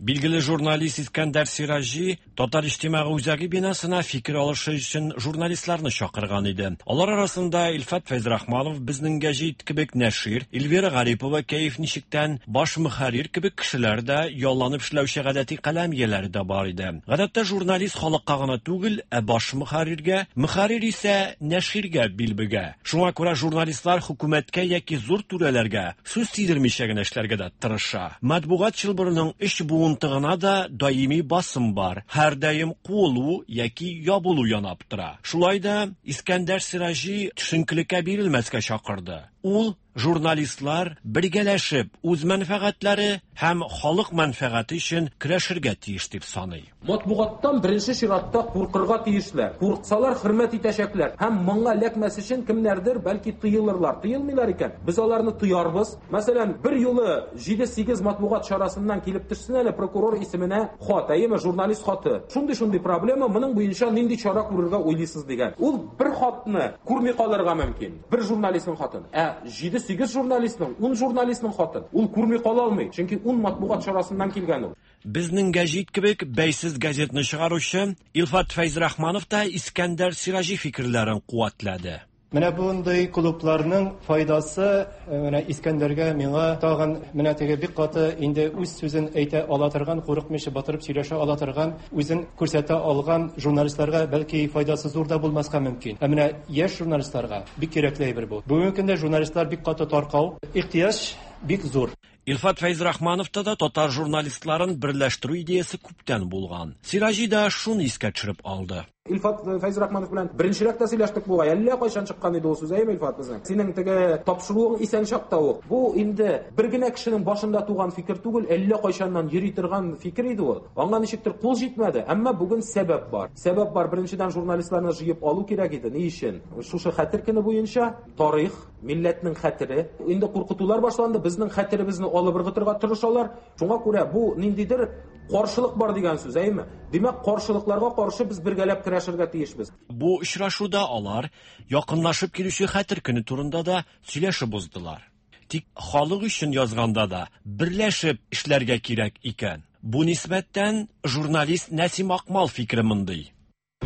Билгеле журналист Искәндәр Сираҗи Татар иҗтимагый үзәге бинасына фикер алышы өчен журналистларны чакырган иде. Алар арасында Илфат Фәйзрахманов Безнең гәҗит кебек нәшир, Эльвира Гарипова Кәеф ничектән баш мөхәррир кебек кешеләр дә, ялланып эшләүче гадәти каләм ияләре дә бар иде. Гадәттә журналист халыкка гына түгел, ә баш мөхәрриргә, мөхәррир исә нәширгә бил бөгә. Шуңа күрә журналистлар хөкүмәткә яки зур түрәләргә сүз тидермичә генә эшләргә дә тырыша. Матбугат чылбырының өч буынтыгына да даими басым бар, һәрдаим куылу яки ябылу янап тора. Шулай да Искәндәр Сираҗи төшенкелеккә бирелмәскә чакырды. Ул журналистлар бергәләшеп үз мәнфәгатьләре һәм халык мәнфәгате өчен көрәшергә тиеш дип саный. Матбугаттан беренче чиратта куркырга тиешләр. Курксалар, хөрмәт итәчәкләр. Һәм моңа эләкмәс өчен кемнәрдер, бәлки, тыелырлар. Тыелмыйлар икән, без аларны тыярбыз. Мәсәлән, бер юлы җиде-сигез матбугат чарасыннан килеп төшсен әле прокурор исеменә хат, әйеме, журналист хаты. Шундый-шундый проблема, моның буенча нинди чара күрергә уйлыйсыз дигән. Ул бер хатны күрми калырга мөмкин, бер журналистның хатын. Ә җиде-сигез журналистның, ун журналистның хатын ул күрми кала алмый, чөнки ун матбугат чарасыннан килгән ул. Безнең гәҗит кебек бәйсез газетны чыгаручы Илфат Фәйзрахманов та Искәндәр Сираҗи фикерләрен куәтләде. Менә бундый клубларның файдасы э, менә Искәндәргә, миңа тагын менә теге бик каты инде үз сүзен әйтә ала торган, курыкмыйча батырып сөйләшә ала торган, үзен күрсәтә алган журналистларга бәлки файдасы зур да булмаска мөмкин. Ә менә яшь журналистларга бик кирәкле әйбер бу. Бүгенге көндә журналистлар бик каты таркау, ихтыяҗ бик зур. Илфат Фәйзрахмановта да татар журналистларын берләштерү идеясе күптән булган. Сираҗи да шуны искә төшереп алды. Илфат Фәйзрахманов белән беренчерәк тә сөйләштек бугай. Әллә кайчан чыккан иде ул сүз, әйеме, Илфат безнең? Синең теге тапшыруың исән чакта ук. Бу инде бер генә кешенең башында туган фикер түгел, әллә кайчаннан йөри торган фикер иде ул. Аңа ничектер кул җитмәде, әмма бүген сәбәп бар. Сәбәп бар, беренчедән, журналистларны җыеп алу кирәк иде. Ни өчен? Шушы хәтер көне буенча тарих, милләтнең хәтере. Инде куркытулар башланды, безнең хәтеребезне алып ыргытырга тырышалар. Шуңа күрә бу ниндидер каршылык бар дигән сүз, әйеме? Димәк, каршылыкларга каршы без бергәләп көрәшергә тиешбез. Бу очрашуда алар якынлашып килүче Хәтер көне турында да сөйләшеп уздылар. Тик халык өчен язганда да берләшеп эшләргә кирәк икән. Бу нисбәттән журналист Нәсим Акмал фикере мондый.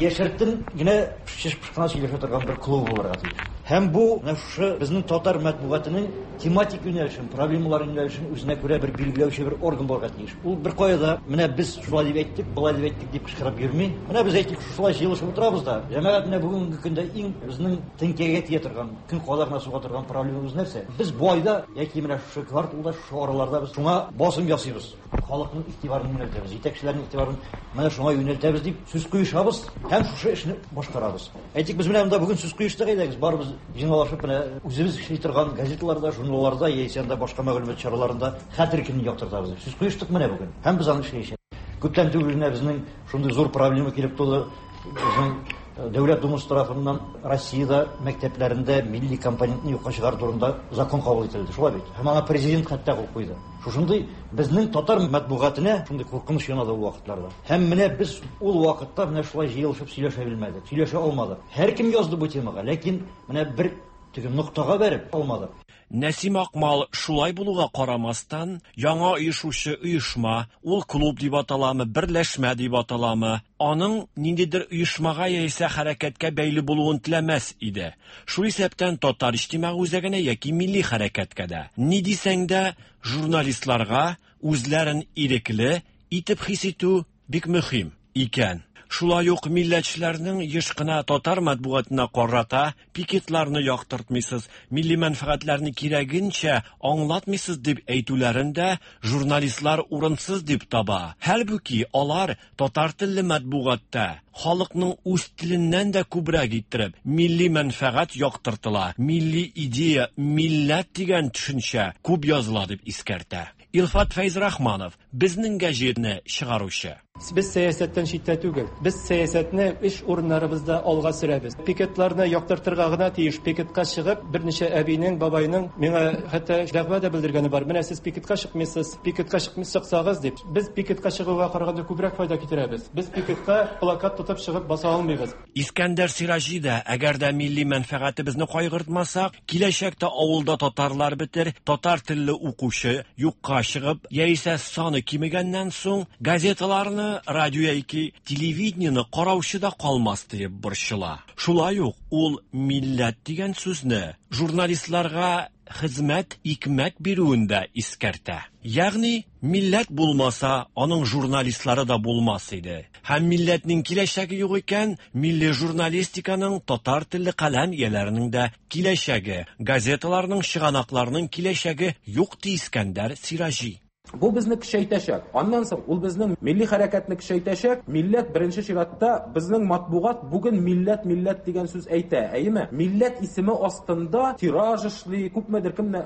Яшертен генә чыш-пыш кына сөйләшә торган бер клуб булырга тиеш. Һәм бу менә шушы безнең татар матбугатының тематик юнәлешен, проблемалар юнәлешен үзенә күрә бер билгеләүче бер орган булырга тиеш. Ул беркая да менә без шулай дип әйттек, болай дип әйттек дип кычкырып йөрми. Менә без әйтик, шулай җыелышып утырабыз да, җәмәгать менә бүгенге көндә иң безнең теңкәгә тия торган, көн кадагына суга торган проблемабыз нәрсә? Без бу айда яки менә шушы кварталда, шушы араларда без шуңа басым ясыйбыз. Халыкның игътибарын юнәлтәбез, җитәкчеләрнең игътибарын менә шуңа юнәлтәбез дип сүз куешабыз һәм шушы эшне башкарабыз. Әйтик, без менә монда бүген сүз куештык, әйдәгез, барыбыз җыйналышып менә үзебез эшли торган газеталарда, журналларда яисә анда башка мәгълүмат чараларында хәтер көнен яктыртабыз дип сүз куештык менә бүген. Һәм без аны эшләячәкбез. Күптән түгел генә безнең шундый зур проблема килеп туды. Безнең Дәүләт Думасы тарафыннан Россиядә мәктәпләрендә милли компонентны юкка чыгару турында закон кабул ителде. Шулай бит? Һәм аңа президент хәтта кул куйды. Шушындый безнең татар матбугатына шундый куркыныч янады ул вакытларда. Һәм менә без ул вакытта менә шулай җыелышып сөйләшә белмәдек, сөйләшә алмадык. Һәркем язды бу темага, ләкин менә бер теге ноктага бәреп алмадык. Нәсим Акмал шулай булуга карамастан, яңа оешучы оешма, ул клуб дип аталамы, берләшмә дип аталамы, аның ниндидер оешмага яисә хәрәкәткә бәйле булуын теләмәс иде. Шул исәптән Татар иҗтимагый үзәгенә яки милли хәрәкәткә дә. Ни дисәң дә, журналистларга үзләрен ирекле итеп хис итү бик мөһим икән. Шулай ук милләтчеләрнең еш кына татар матбугатына карата пикетларны яктыртмыйсыз, милли мәнфәгатьләрне кирәгенчә аңлатмыйсыз дип әйтүләрен дә журналистлар урынсыз дип таба. Хәлбуки алар татар телле матбугатта халыкның үз теленнән дә күбрәк иттереп милли мәнфәгать яктыртыла, милли идея, милләт дигән төшенчә күп языла дип искәртә. Илфат Фәйзрахманов, Безнең гәҗитне чыгаручы. Без сәясәттән читтә түгел. Без сәясәтне эш урыннарыбызда алга сөрәбез. Пикетларны яктыртырга гына тиеш. Пикетка чыгып, берничә әбинең, бабайның миңа хәтта дәгъва да белдергәне бар. Менә сез пикетка чыкмыйсыз, пикетка чыкмый чыксагыз дип. Без пикетка чыгуга караганда күбрәк файда китерәбез. Без пикетка плакат тотып чыгып баса алмыйбыз. Искәндәр Сираҗи да, әгәр дә милли мәнфәгатебезне кайгыртмасак, киләчәктә авылда татарлар бетер, татар телле укучы юкка чыгып, яисә саны кимегәннән соң, газеталарны, радио яки телевидениене караучы да калмас диеп борчыла. Шулай ук ул милләт дигән сүзне журналистларга хезмәт, икмәк бирүен дә искәртә. Ягъни, милләт булмаса, аның журналистлары да булмас иде. Һәм милләтнең киләчәге юк икән, милли журналистиканың, татар телле каләм ияләренең дә киләчәге, газеталарның, чыганакларның киләчәге юк, ди Искәндәр Сираҗи. Бу безне көчәйтәчәк. Аннан соң ул безнең милли хәрәкәтне көчәйтәчәк. Милләт беренче чиратта безнең матбугат бүген милләт, милләт дигән сүз әйтә, әйеме? Милләт исеме астында тираж эшли, күпмедер кемне,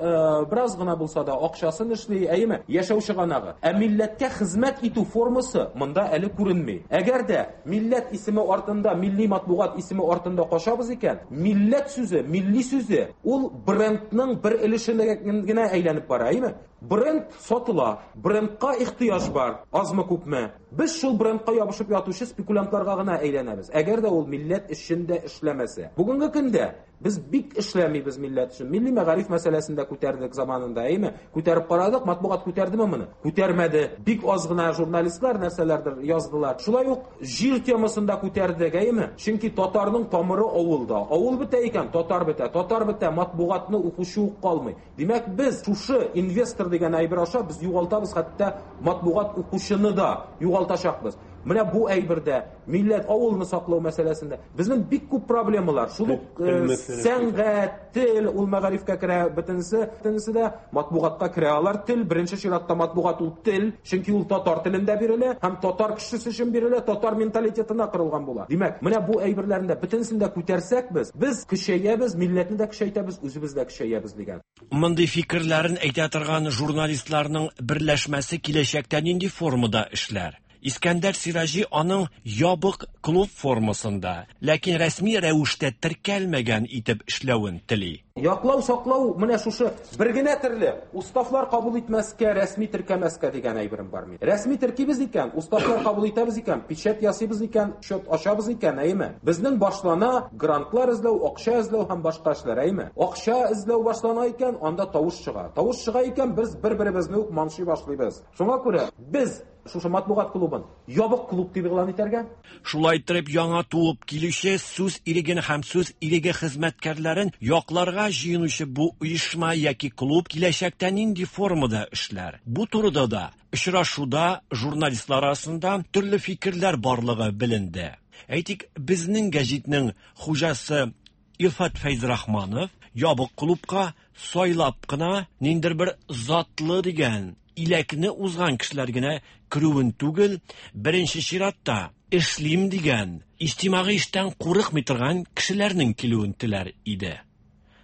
бераз гына булса да акчасын эшли, әйеме? Яшәү чыганагы. Ә милләткә хезмәт итү формасы монда әле күренми. Әгәр дә милләт исеме артында, милли матбугат исеме артында качабыз икән, милләт сүзе, милли сүзе ул брендның бер өлешенә генә әйләнеп бара, әйеме? Бренд сатыла, брендка ихтыяҗ бар, азмы күпме. Без шул брендка ябышып ятучы спекулянтларга гына әйләнәбез, әгәр дә ул милләт өчен дә эшләмәсә. Бүгенге көндә без бик эшләмибез милләт өчен. Милли мәгариф мәсьәләсен дә күтәрдек заманында, әйеме? Күтәреп карадык, матбугат күтәрдеме моны? Күтәрмәде. Бик аз гына журналистлар нәрсәләрдер яздылар. Шулай ук җир темасын да күтәрдек, әйеме? Чөнки татарның тамыры авылда. Авыл бетә икән, татар бетә. Татар бетә, матбугатны укучы ук калмый. Димәк, без шушы инвестор дигән әйбер аша без югалтабыз, хәтта матбугат укучыны да югалтачакбыз. Менә бу әйбердә, милләт, авылны саклау мәсьәләсендә безнең бик күп проблемалар. Шул ук сәнгать, тел, ул мәгарифкә керә, бөтенесе, бөтенесе дә матбугатка керә. Алар тел, беренче чиратта матбугат ул тел, чөнки ул татар телендә бирелә һәм татар кешесе өчен бирелә, татар менталитетына корылган була. Димәк, менә бу әйберләрне дә бөтенесен дә күтәрсәк без, без көчәябез, милләтне дә көчәйтәбез, үзебез дә көчәябез дигән. Мондый фикерләрен әйтә торган журналистларның берләшмәсе киләчәктә нинди формада эшләр? Искәндәр Сираҗи аның ябык клуб формасында, ләкин рәсми рәвештә теркәлмәгән итеп эшләвен тели. Яклау, саклау менә шушы бер генә төрле уставлар кабул итмәскә, рәсми теркәмәскә дигән әйберем бар минем. Рәсми теркибез икән, уставлар кабул итәбез икән, печать ясыйбыз икән, счет ачабыз икән, әйеме? Безнең башлана грантлар эзләү, акча эзләү һәм башка эшләр, әйеме? Акча эзләү башлана икән, анда тавыш чыга. Тавыш чыга икән, без бер-беребезне үк манчый башлыйбыз. Шуңа күрә без шушы матбугат клубын ябык клуб дип игълан итәргә. Шулай иттереп, яңа туып килүче сүз иреген һәм сүз иреге хезмәткәрләрен якларга җыенучы бу оешма яки клуб киләчәктә нинди формада эшләр? Бу турыда да очрашуда журналистлар арасында төрле фикерләр барлыгы беленде. Әйтик, Безнең гәҗитнең хуҗасы Илфат Фәйзрахманов ябык клубка сайлап кына ниндер бер затлы дигән иләкне узган кешеләр генә керүен түгел, беренче чиратта эшлим дигән, иҗтимагый эштән курыкмый торган кешеләрнең килүен теләр иде.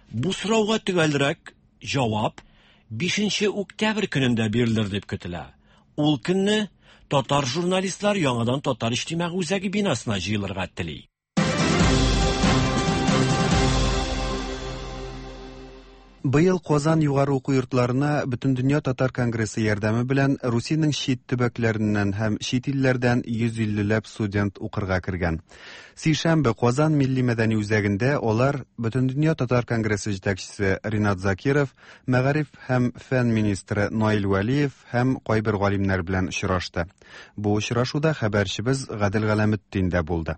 Бу сорауга төгәлрәк җавап 5 октябрь көнендә бирелер дип көтелә. Ул көнне татар журналистлар яңадан Татар иҗтимагый үзәге бинасына җыелырга тели. Быел Казан югары уку йортларына Бөтендөнья татар конгрессы ярдәме белән Русиянең чит төбәкләреннән һәм чит илләрдән 150 ләп студент укырга кергән. Сишәмбе Казан милли мәдәни үзәгендә алар Бөтендөнья татар конгрессы җитәкчесе Ринат Закиров, мәгариф һәм фән министры Наил Вәлиев һәм кайбер галимнәр белән очрашты. Бу очрашуда хәбәрчебез Гадел Галәметдин дә булды.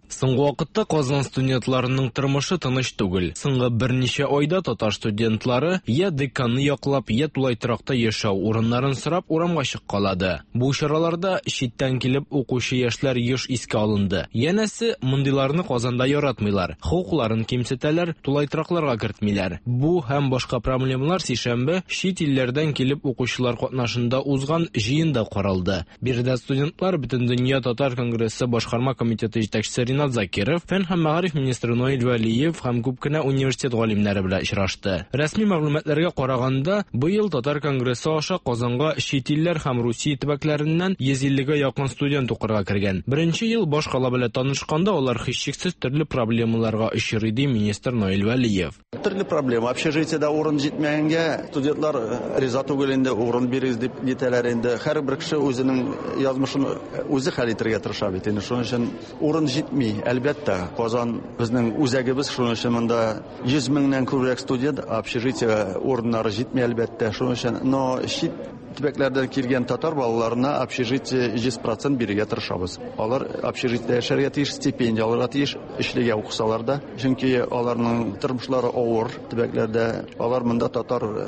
Соңгы вакытта Казан студентларының тормышы тыныч түгел. Соңгы берничә айда татар студентлары я деканны яклап, я тулай торакта яшәү урыннарын сорап урамга чыккалады. Бу чараларда читтән килеп укучы яшьләр еш искә алынды. Янәсе, мондыйларны Казанда яратмыйлар, хокукларын кимсетәләр, тулай торакларга кертмиләр. Бу һәм башка проблемалар сишәмбе чит илләрдән килеп укучылар катнашында узган җыенда каралды. Биредә студентлар Бөтендөнья татар конгрессы башкарма комитеты җитәкчесе Ринат Закиров, фән һәм мәгариф министры Наил Вәлиев һәм күп кенә университет галимнәре белән очрашты. Рәсми мәгълүматларга караганда, быел татар конгрессы аша Казанга чит илләр һәм Русия төбәкләреннән 150 гә якын студент укырга кергән. Беренче ел башкала белән танышканда алар һичшиксез төрле проблемаларга очрый, ди министр Наил Вәлиев. Төрле проблема. Общежитиедә урын җитмәгәнгә студентлар э, риза түгел инде, урын бирегез дип нитәләр инде. Һәрбер кеше үзенең язмышын э, үзе хәл итәргә тырыша бит инде. Шуның өчен урын җитми, әлбәттә. Казан безнең үзәгебез, шуның өчен монда 100 меңнән күбрәк студент, общежитие урыннары җитми, әлбәттә. Шуның өчен, но чит төбәкләрдән килгән татар балаларына общежитие 100% бирергә тырышабыз. Алар общежитиедә яшәргә тиеш, стипендия алырга тиеш, өчлегә укысалар да. Чөнки аларның тормышлары авыр төбәкләрдә. Алар монда татар э,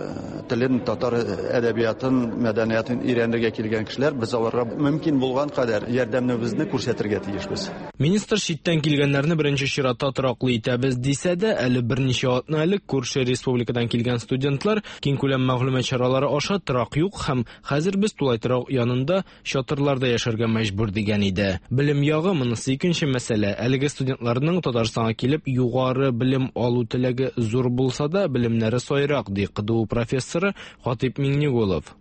телен, татар әдәбиятын, мәдәниятын өйрәнергә килгән кешеләр. Без аларга мөмкин булган кадәр ярдәмебезне күрсәтергә тиешбез. Министр читтән килгәннәрне беренче чиратта тораклы итәбез дисә дә, әле берничә атна элек күрше республикадан килгән студентлар киңкүләм мәгълүмат чаралары аша торак юк һәм хәзер без тулай торак янында чатырларда яшәргә мәҗбүр дигән иде. Белем ягы монысы икенче мәсьәлә. Әлеге студентларның Татарстанга килеп югары белем алу теләге зур булса да, белемнәре сайрак, ди КДУ профессоры Хатыйп Миңнегулов.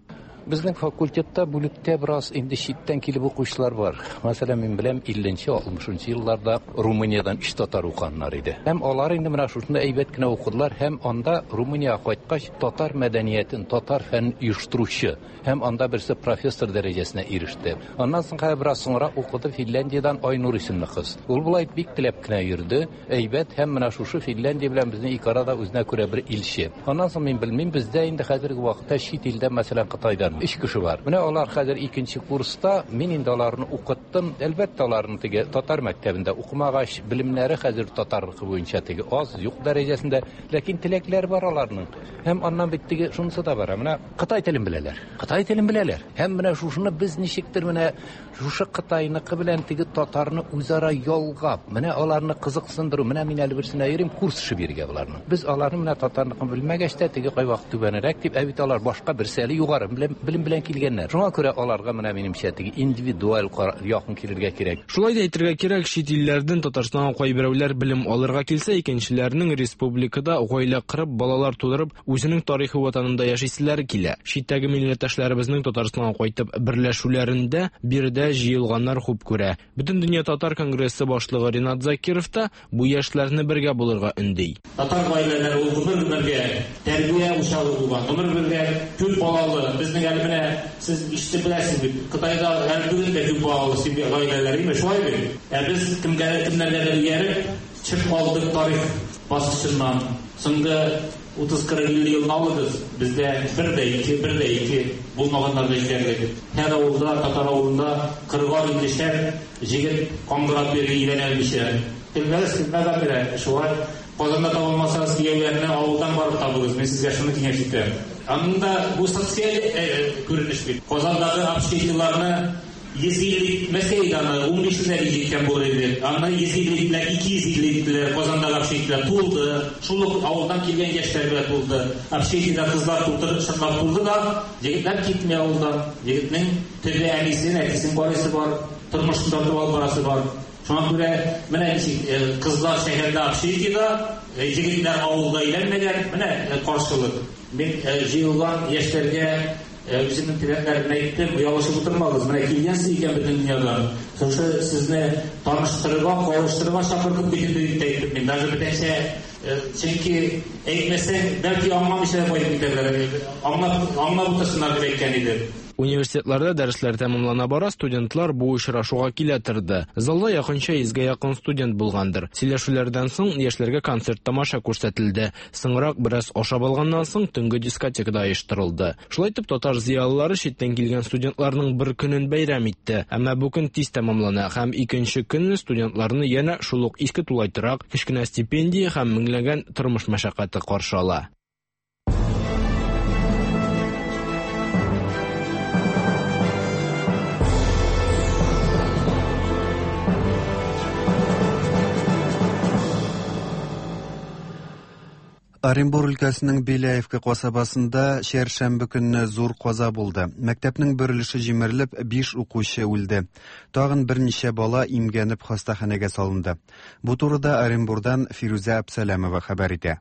Безнең факультетта, бүлектә бераз инде читтән килеп укучылар бар. Мәсәлән, мин беләм, 50-нче, 60-нчы елларда Румыниядән өч татар укыганнар иде. Һәм алар инде менә шушында әйбәт кенә укыдылар һәм анда Румыниягә кайткач, татар мәдәниятен, татар фәнен оештыручы Һәм анда берсе профессор дәрәҗәсенә иреште. Аннан соң хәзер бераз соңрак укыды Финляндиядән Айнур исемле кыз. Ул болай бик теләп кенә йөрде, әйбәт, һәм менә шушы Финляндия белән безнең ике арада үзенә күрә бер илче. Аннан соң мин белмим, бездә инде хәзерге вакытта чит илдән, мәсәлән, Кытайдан. бармы? Өч кеше бар. Менә алар хәзер икенче курста, мин инде аларны укыттым. Әлбәттә, аларның теге татар мәктәбендә укымагач, белемнәре хәзер татарныкы буенча теге аз, юк дәрәҗәсендә, ләкин теләкләр бар аларның. Һәм аннан бит теге шунысы да бар. Менә кытай телен беләләр. Кытай телен беләләр. Һәм менә шушыны без ничектер менә шушы кытайныкы белән теге татарны үзара ялгап, менә аларны кызыксындыру, менә мин әле берсенә йөрим, курс эше бирергә боларның. Без аларны менә татарныкын белмәгәч тә, теге кайвакыт түбәнрәк дип, ә бит алар башка берсе әле югары белем белән килгәннәр. Шуңа күрә аларга менә минемчә теге индивидуаль якын килергә кирәк. Шулай да әйтергә кирәк, чит илләрдән Татарстанга кайберәүләр белем алырга килсә, икенчеләренең республикада гаилә корып, балалар тудырып, үзенең тарихи ватанында яшиселәре килә. Читтәге милләттәшләребезнең Татарстанга кайтып берләшүләрендә биредә җыелганнар хуп күрә. Бөтендөнья татар конгрессы башлыгы Ринат Закиров та бу яшьләрне бергә булырга өнди. Татар гаиләләре ул гомер-гомергә тәрбия учагы булган, гомер-гомергә күп балалы. Безнең әле менә сез ишетеп беләсез бит, Кытайда әле бүген дә күп балалы семья гаиләләр, име, шулай бит? Ә без кемгә кемнәргәдер ияреп, төшеп калдык тарих баскычыннан. Соңгы 30-40 50 елны алыгыз, бездә бер дә ике, бер дә ике булмаганнар да җитәрлек. Һәр авылда, татар авылында кырыгар иллешәр җегет каңгырап йөри өйләнә алмыйча. Көлмәгез, көлмәгә керә, шулай. Казанда таба алмасагыз, кияүләрне авылдан барып табыгыз, мин сезгә шуны киңәш итәм. Анда бу социаль күренеш бит. Казандагы общежитиеларны 150 итмәсә иде аны, 15 дә җиткән булыр иде. Аны 150 иттеләр, 250 иттеләр, Казандагы общежитиеләр тулды. Шул ук авылдан килгән яшьләр белән тулды. Общежитиедә кызлар тутырып, чынлап тулды да, егетләр китми авылдан. Егетнең төбе әнисен, әтисен карыйсы бар, тормышын тартып алып барасы бар. Шуңа күрә менә ничек кызлар шәһәрдә общежитиедә, егетләр авылда өйләнмәгән, менә каршылык. Мин җыелган яшьләргә Үземнең теләкләремне әйттем, оялышып утырмагыз, менә килгәнсез икән бөтен дөньядан, шушы сезне таныштырырга, кавыштырырга чакырдык бит инде дип тә әйттем мин, даже бүтәнчә, чөнки әйтмәсәң, бәлки аңламыйча да кайтып китәрләр, аңлап, аңлап утырсыннар дип әйткән идем. Университетларда дәресләр тәмамлана бара, студентлар бу очрашуга килә торды. Залда якынча йөзгә якын студент булгандыр. Сөйләшүләрдән соң яшьләргә концерт-тамаша күрсәтелде. Соңрак, бераз ашап алганнан соң, төнге дискотека да оештырылды. Шулай итеп, татар зыялылары читтән килгән студентларның бер көнен бәйрәм итте. Әмма бу көн тиз тәмамлана һәм икенче көнне студентларны янә шул ук иске тулай торак, кечкенә стипендия һәм меңләгән тормыш мәшәкате каршы ала. Оренбур өлкәсенең Беляевка касабасында чәршәмбе көнне зур каза булды. Мәктәпнең бер өлеше җимерелеп, биш укучы үлде. Тагын берничә бала имгәнеп хастаханәгә салынды. Бу турыда Оренбурдан Фирүзә Әпсәләмова хәбәр итә.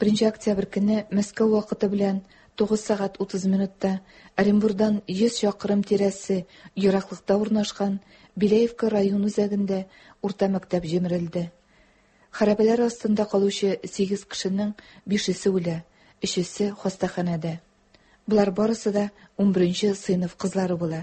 Беренче октябрь көнне Мәскәү вакыты белән 9 сәгать 30 минутта Оренбурдан 100 чакрым тирәсе ераклыкта урнашкан Беляевка район үзәгендә урта мәктәп җимерелде. Хәрабәләр астында калучы сигез кешенең бишесе үлә, өчесе хастаханәдә. Болар барысы да унберенче сыйныф кызлары була.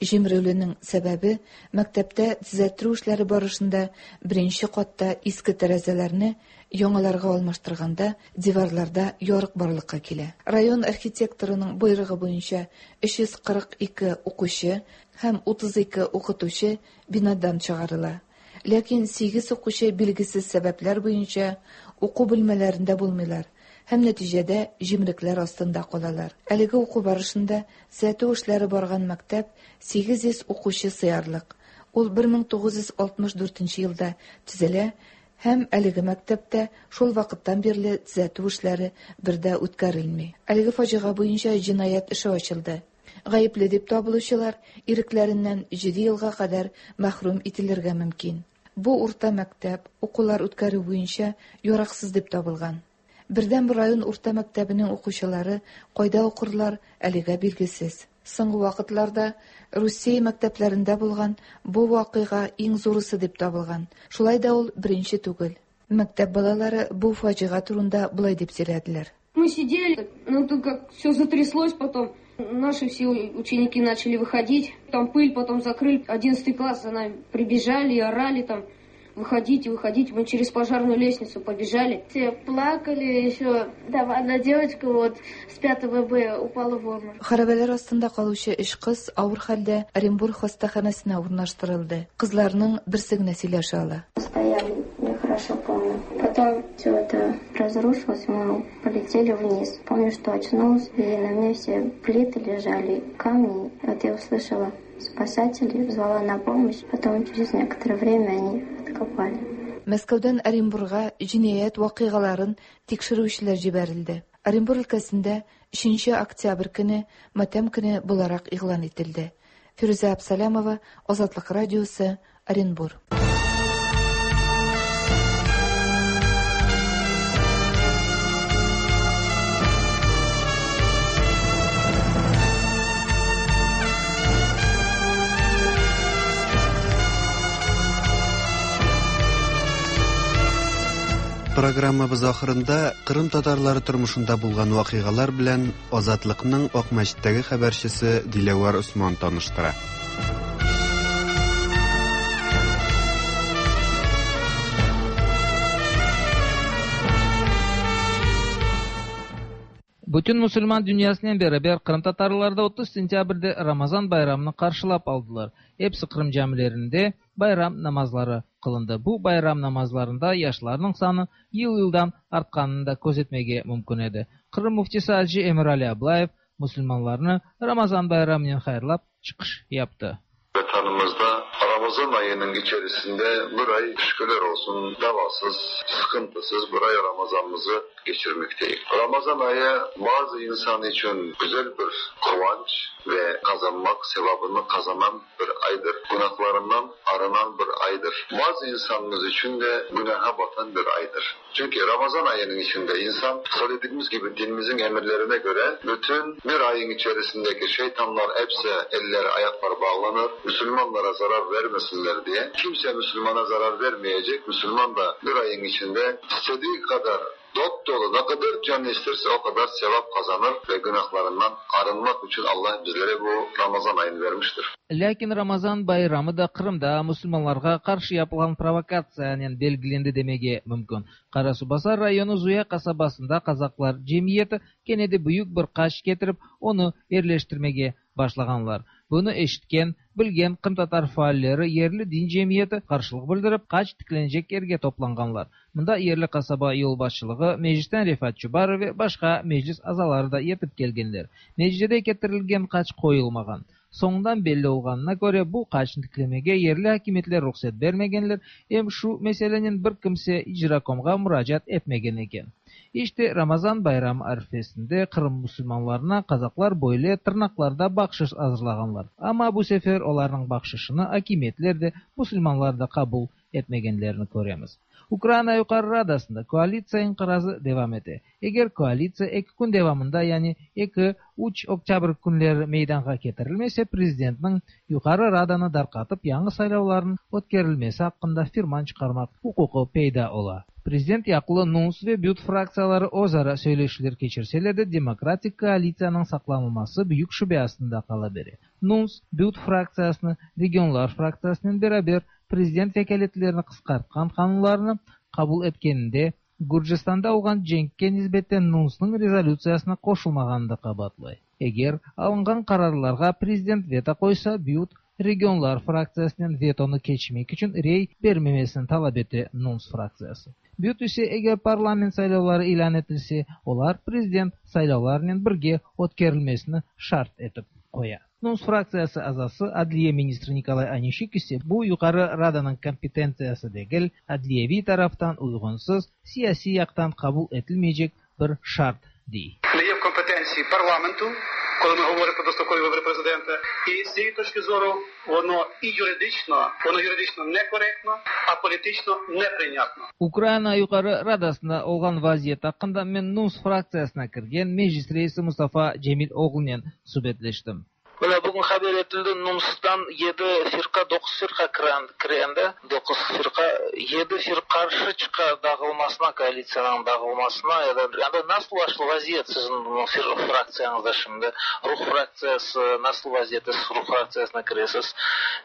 Җимерелүнең сәбәбе, мәктәптә төзәттерү эшләре барышында беренче катта иске тәрәзәләрне яңаларга алмаштырганда диварларда ярык барлыкка килә. Район архитекторының боерыгы буенча 342 укучы һәм 32 укытучы бинадан чыгарыла. Ләкин сигез укучы билгесез сәбәпләр буенча уку бүлмәләрендә булмыйлар һәм нәтиҗәдә җимерекләр астында калалар. Әлеге уку барышында төзәтү эшләре барган мәктәп 800 укучы сыярлык. Ул 1964 елда төзелә һәм әлеге мәктәптә шул вакыттан бирле төзәтү эшләре бер дә үткәрелми. Әлеге фаҗига буенча җинаять эше ачылды. Гаепле дип табылучылар ирекләреннән җиде елга кадәр мәхрүм ителергә мөмкин. Бу урта мәктәп укулар үткәрү буенча яраксыз дип табылган. Бердәнбер район урта мәктәбенең укучылары кайда укырлар, әлегә билгесез. Соңгы вакытларда Русия мәктәпләрендә булган бу вакыйга иң зурысы дип табылган. Шулай да ул беренче түгел. Мәктәп балалары бу фаҗига турында болай дип сөйләделәр. Мы сидели, но тут как все затряслось потом. Наши все ученики начали выходить. Там пыль потом закрыли. 11 класс за нами прибежали и орали там. Выходите, выходите. Мы через пожарную лестницу побежали. Все плакали еще. Там одна девочка вот с 5 Б упала в обморок. Хәрабәләр астында калучы өч кыз авыр хәлдә Оренбург хастаханәсенә урнаштырылды. Кызларның берсе генә сөйләшә ала. Стояли, я хорошо помню. Потом все это разрушилось, мы полетели вниз. Помню, что очнулась, и на мне все плиты лежали, камни. Вот я услышала спасателей, звала на помощь. Потом через некоторое время они откопали. Мәскәүдән Оренбурга җинаять вакыйгаларын тикшерүчеләр җибәрелде. Оренбур өлкәсендә 3 октябрь көне матәм көне буларак игълан ителде. Фирүзә Абсалямова, Азатлык радиосы, Оренбур. Программабыз ахырында Кырым татарлары тормышында булган вакыйгалар белән Азатлыкның Акмәчеттәге хәбәрчесе Диләвәр Осман таныштыра. Bütün musulman dünyasınen beraber qırımtatarlar da 30 sentâbrde Ramazan bayramını qarşılap aldılar. Episi Qırım camilerinde bayram namazları qılındı. Bu bayram namazlarında yaşlarnıñ sanı yıl-yıldan artqanını da közetmege mümkün edi. Qırım müftisi acı Emirali Ablayev musulmanlarnı Ramazan bayramınen hayırlap çıqış yaptı. Vatanımızda Ramazan ayının içerisinde bir ay şükürler olsun davasız, sıkıntısız bir ay Ramazanımızı geçirmekteyiz. Ramazan ayı bazı insan için güzel bir kıvanç ve kazanmak, sevabını kazanan bir aydır. Günahlarından arınan bir aydır. Bazı insanımız için de günaha batan bir aydır. Çünkü Ramazan ayının içinde insan söylediğimiz gibi dinimizin emirlerine göre bütün bir ayın içerisindeki şeytanlar hepsi elleri ayakları bağlanır. Müslümanlara zarar vermesinler diye. Kimse Müslümana zarar vermeyecek. Müslüman da bir ayın içinde istediği kadar dop dolu ne kadar can isterse o kadar sevap kazanır ve günahlarından arınmak için Allah bizlere bu Ramazan ayını vermiştir. Lâkin Ramazan bayramı da Qırımda musulmanlarğa qarşı yapılğan provokatsiyanen belgilendi demege mümkün. Qarasuvbasar rayonı Zuya qasabasında qazaqlar cemiyeti kene de büyük bir qaç ketirip, onı yerleştirmege başlağanlar. Bunı eşitken, bilgen qırımtatar faalleri yerli din cemiyeti qarşılıq bildirip, qaç tiklenecek yerge toplanğanlar. Mında yerli qasaba yolbaşçılığı, meclisten Refat Çubarov ve başqa meclis azaları da yetip kelgenler. Neticede ketirilgen qaç qoyulmağan. Soñundan belli olğanına köre, bu qaçnı tiklemege yerli akimiyetler ruhset bermegenler, em şu meselenen bir kimse icrakomğa muracaat etmegen eken. İşte, Ramazan bayramı arfesinde Qırım musulmanlarına qazaqlar böyle tırnaqlarda bahşış azırlağanlar. Amma bu sefer olarnıñ bahşışını akimiyetler de, musulmanlar da qabul etmegenlerini köremiz. Ukraina Yuqarı Radasında koalitsiya inqirazı devam ete. Eger koalitsiya eki kün devamında, yani eki, üç oktâbr künleri meydanğa ketirilmese, prezidentniñ Yuqarı Radanı darqatıp yañı saylavlarnıñ ötkerilmesi aqqında firman çıqarmaq uquqı peyda ola. Prezident yaqlı NUNS ve BYUT fraktsiyaları özara söyleşüvler keçirseler de, demokratik koalitsiyanıñ saqlanılması büyük şübe astında qala bere. NUNS, BYUT fraktsiyasını Regionlar fraktsiyasınen beraber prezident vekâletlerini qısqartqan qanunlarnı qabul etkeninde Gürcistanda olğan cenkke nisbeten NUNSnıñ rezolütsiyasına qoşulmağanını da qabaatlay. Eger alınğan qararlarğa prezident veto qoysa, BYUT, Regionlar fraktsiyasınen vetonı keçmek içün rey bermemesini talap ete NUNS fraktsiyası. BYUT ise eger parlament saylavları ilân etilse, olar prezident saylavlarınen birge ötkerilmesini şart etip qoya. NUNS fraktsiyası azası, adliye ministri Nikolay Onişçuk ise bu Yuqarı Radanıñ kompetentsiyası degil, adliyeviy taraftan uyğunsız, siyasiy yaqtan qabul etilmeycek bir şart, dey. Ne є в компетенції парламенту, коли ми говоримо про дострокові вибори президента, і з цієї точки зору воно і юридично, воно юридично некоректно, а політично неприйнятно. Ukraina Yuqarı Radasında olğan vaziyet aqqında men NUNS fraktsiyasına kirgen Meclis reisi Mustafa Cemiloğlunen subetleştim. Mına bugün haber etildi, NUNStan yedi firqa, doquz firqa kire endi, doquz firqa, yedi firqa qarşı çıqa dağılmasına, koalitsiyanıñ dağılmasına ya da anda nasıl vaziyet siziñ fraktsiyañızda şimdi? Ruh fraktsiyası nasıl vaziyette, siz Ruh fraktsiyasına kiresiz?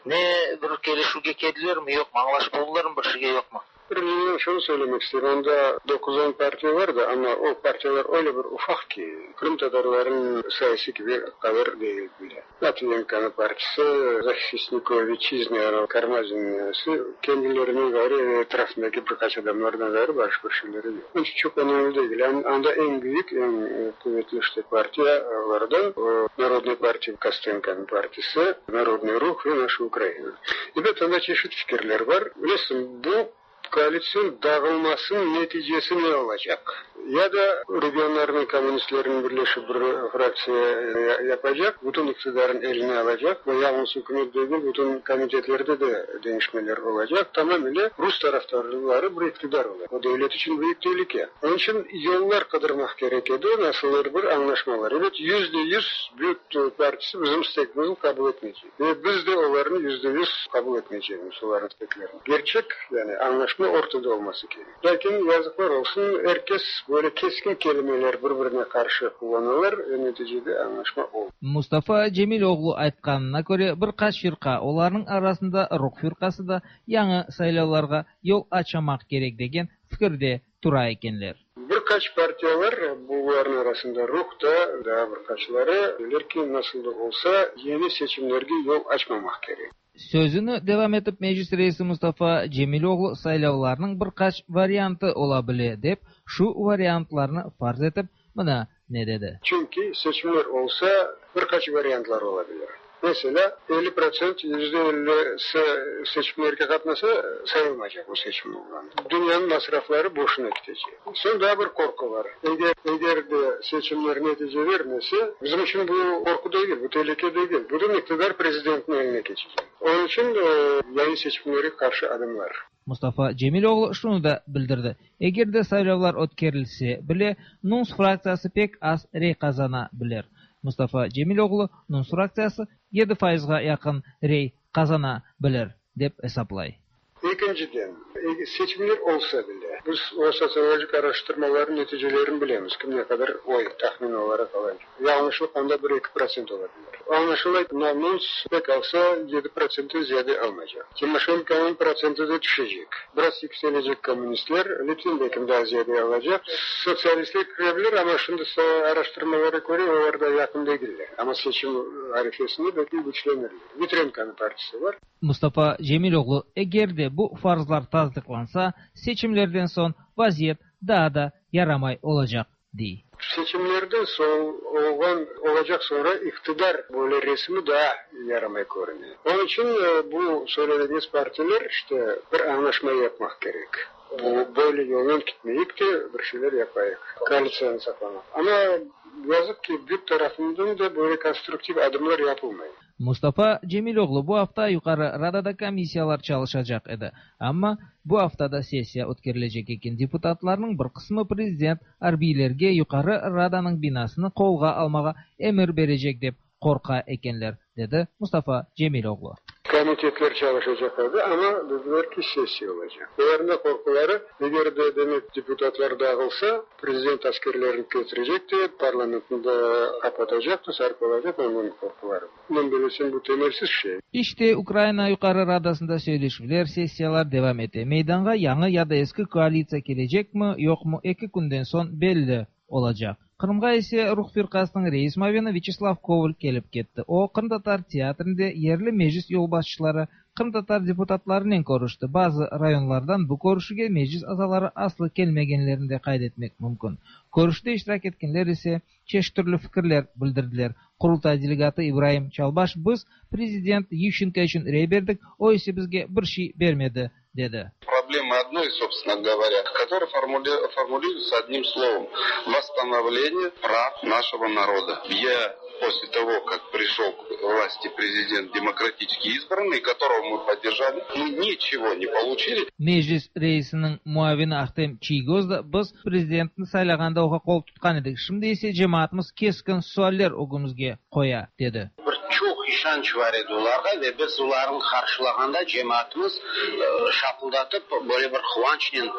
Ne bir kelişüvge keldilermi, yoqmı, añlaşıp oldılarmı bir şeyge, yoqmı? Bir şunı söylemek isteyim, anda 9-10 partiya var da, amma o partiyalar öyle bir ufaq ki, qırımtatarlarnıñ sayısı kibi qadar degil bile. Matviyenkonıñ partisi, Zahistniki Vitçiznı, Karmazinniñsi, kendilerinden ğayrı ve etrafındaki bir qaç adamlardan ğayrı başqa bir şeyleri yoq. Onıñ içün çoq önemli degil. Anda eñ büyük, eñ quvetli işte partiyalardan o Narodnıy partiya, Kostenkonıñ partisi, Narodnıy Ruh ve Naşa Ukraina. Ebet, anda çeşit fikirler bar. Bilesiñ, bu koalitsion dağılmasınıñ neticesi ne olacaq? Ya da regionlarnıñ kommunistleriniñ birleşip bir fraktsiya yapacaq, bütün iqtidarın eline alacaq ve yalıñız ükümet degil, bütün komitetlerde de deñişmeler olacaq, tamamile rus tarafdarları bir iqtidar olacaq. O devlet içün büyük telüke. Onıñ içün yollar qıdırmaq kerek edi, nasıldır bir añlaşmalar. Ebet, 100% BÜT partisi bizim istegimizni qabul etmeycek. Ve biz de olarnı 100% qabul etmeycegimiz, olarnıñ isteklerini. Kerçek, yani añlaşma ortada olması kerek. Lâkin, yazıqlar olsun, er kes böyle keskin kelimeler bir-birine qarşı qullanalar ve neticede añlaşma olmay. Mustafa Cemiloğlu aytqanına köre, bir qaç firqa, olarnıñ arasında Ruh firqası da, yañı saylavlarğa yol açmamaq kerek degen fikirde tura ekenler. Bir qaç partiyalar, bularnıñ arasında Ruh da, daa bir qaçları, deyler ki, nasıl da olsa, yeñi seçimlerge yol açmamaq kerek. Sözüni devam etip Meclis reisi Mustafa Cemiloğlu saylavlarnıñ bir qaç variantı ola bile dep, şu variantlarnı farz etip, mına ne dedi. Çünki seçimler olsa, bir qaç variantlar ola bilir. Meselâ, 50%, 50%si seçimlerge qatnasa, sayılmaycaq bu seçim olğanı. Dünyanıñ masrafları boşuna ketecek. Soñ daa bir qorqu bar. Eger, eger de seçimler netice bermese, bizim içün bu qorqu degil, bu telüke degil, bütün iqtidar prezidentniñ eline keçecek. Onıñ içün yañı seçimlerge qarşı adımlar. Mustafa Cemiloğlu şunı da bildirdi, eger de saylavlar ötkerilse bile, NUNS fraktsiyası pek az rey qazana bilir. Mustafa Cemiloğlu, NUNS fraktsiyası 7 fayızğa yaqın rey qazana bilir, dep esaplay. Ekinciden, seçimler olsa bile, biz o sotsiologik araştırmalarnıñ neticelerini bilemiz, kim ne qadar oy tahmin olaraq alacaq. Yañlışlıq anda 1-2% ola bilir. Añlaşıla, NUNS pek alsa 7%-ten ziyade almaycaq. Timoşenkonıñ protsenti de tüşecek. Biraz yükselecek kommunistler, Litvinko belkim daa ziyade alacaq. Sotsialistler kire bilir, amma şimdi araştırmalara köre olar da yaqın degiller. Amma seçim arifesinde belkim küçlenirler. Vitrenkonıñ partisi bar. Mustafa Cemiloğlu, eger de bu farzlar tasdıqlansa, seçimlerden soñ vaziyet daa da yaramay olacaq, dey. Seçimlerden soñ olğan olacaq soñra iqtidar böyle resimi daa yaramay körüne. Onıñ içün bu söyledigiñiz partiler işte bir añlaşma yapmaq kerek. Bu böyle yolnen ketmeyik de, bir şeyler yapayıq, koalitsiyanı saqlamaq. Amma yazıq ki, BÜT tarafından da böyle konstruktiv adımlar yapılmay. Mustafa Cemiloğlu bu afta Yuqarı Radada komissiyalar çalışacaq edi. Amma bu afta da sessiya ötkerilecek eken. Deputatlarnıñ bir qısmı prezident arbiylerge Yuqarı Radanıñ binasını qolğa almağa emir berecek dep qorqa ekenler, dedi Mustafa Cemiloğlu. Komitetler çalışacaq edi, amma dediler ki, sessiya olacaq. Olarnıñ da qorquları, eger de, demek, deputatlar dağılsa, prezident askerlerini ketirecek de, parlamentni de qapatacaq da, sarıp alacaq, onıñ qorquları. Men bellesem, bu temelsiz şey. İşte, Ukraina Yuqarı Radasında söyleşüvler, sessiyalar devam ete. Meydanğa yañı ya da eski koalitsiya kelecekmi, yoqmı, eki künden soñ belli olacaq. Qırımğa ise Ruh firqasınıñ reis muavini Vyaçeslav Koval kelip ketti. O, qırımtatar teatrinde yerli meclis yolbaşçıları, qırımtatar deputatlarınen körüşti. Bazı rayonlardan bu körüşüvge meclis azaları aslı kelmegenlerini de qayd etmek mümkün. Körüşüvde iştirak etkenler ise çeşit türlü fikirler bildirdiler. Qurultay delegatı İbraim Çalbaş, Biz prezident Yuşçenko içün rey berdik, o ise bizge bir şey bermedi, dedi. Проблемы одной, собственно говоря, которая формулируется одним словом: восстановление прав нашего народа. Я после того, как пришел к власти президент демократически избранный, которого мы поддержали, мы ничего не получили. Meclis reisiniñ muavini Ahtem Çiygoz da, Biz prezidentni saylağanda oña qol tutqan edik, şimdi ise cemaatımız keskin sualler ögümizge qoya, dedi. Bir çoq Çoq işanç bar edi olarğa ve biz olarnı qarşılağanda cemaatımız şapıldatıp böyle bir quvançnen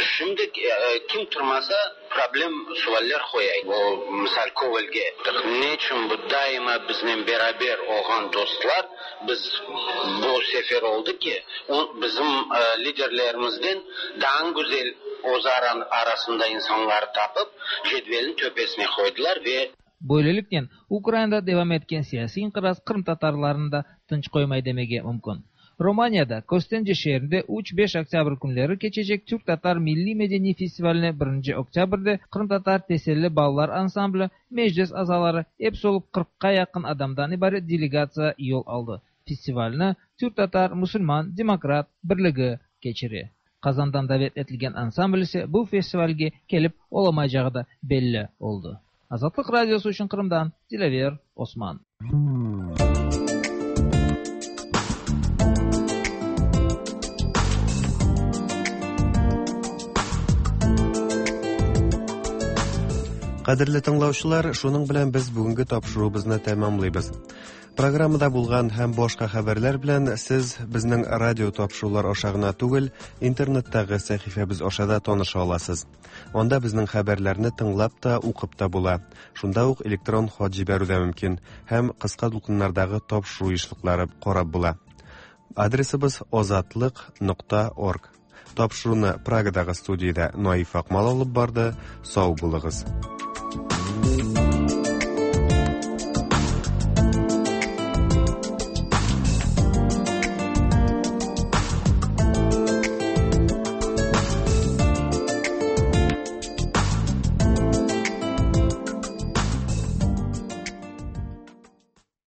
şimdi kim turmasa problem sualler qoya, o, misal, Kovalge, neçün bu daima biznen beraber olğan dostlar, biz bu sefer oldı ki, o, bizim liderlerimizden daa güzel özara arasında insanları tapıp, cedvelniñ töpesine qoydılar ve. Böyleliknen, Ukrainada devam etken siyasiy inqiraz qırımtatarlarnı da tınç qoymay demege mümkün. Romaniyada, Köstence şeerinde üç, beş oktâbr künleri keçecek Türk-tatar milliy-medeniy festivaline birinci oktâbrde qırımtatar Teselli balalar ansambli, Meclis azaları, episi olıp qırqqa yaqın adamdan ibaret delegatsiya yol aldı. Festivalni Türk-tatar musulman demokrat birligi keçire. Qazandan davet etilgen ansambl ise bu festivalge kelip olamaycağı da belli oldı. Azatlıq Radiosı içün Qırımdan Dilâver Osman. Кадерле тыңлаучылар, шуның белән без бүгенге тапшыруыбызны тәмамлыйбыз. Программада булган һәм башка хәбәрләр белән сез безнең радио тапшырулар аша гына түгел, интернеттагы сәхифәбез аша да таныша аласыз. Анда безнең хәбәрләрне тыңлап та, укып та була. Шунда ук электрон хат җибәрү дә мөмкин һәм кыска дулкыннардагы тапшыру ешлыклары карап була. Адресыбыз озатлык.орг. Тапшыруны Прагадагы студиядә Наиф Акмал алып барды. Сау булыгыз.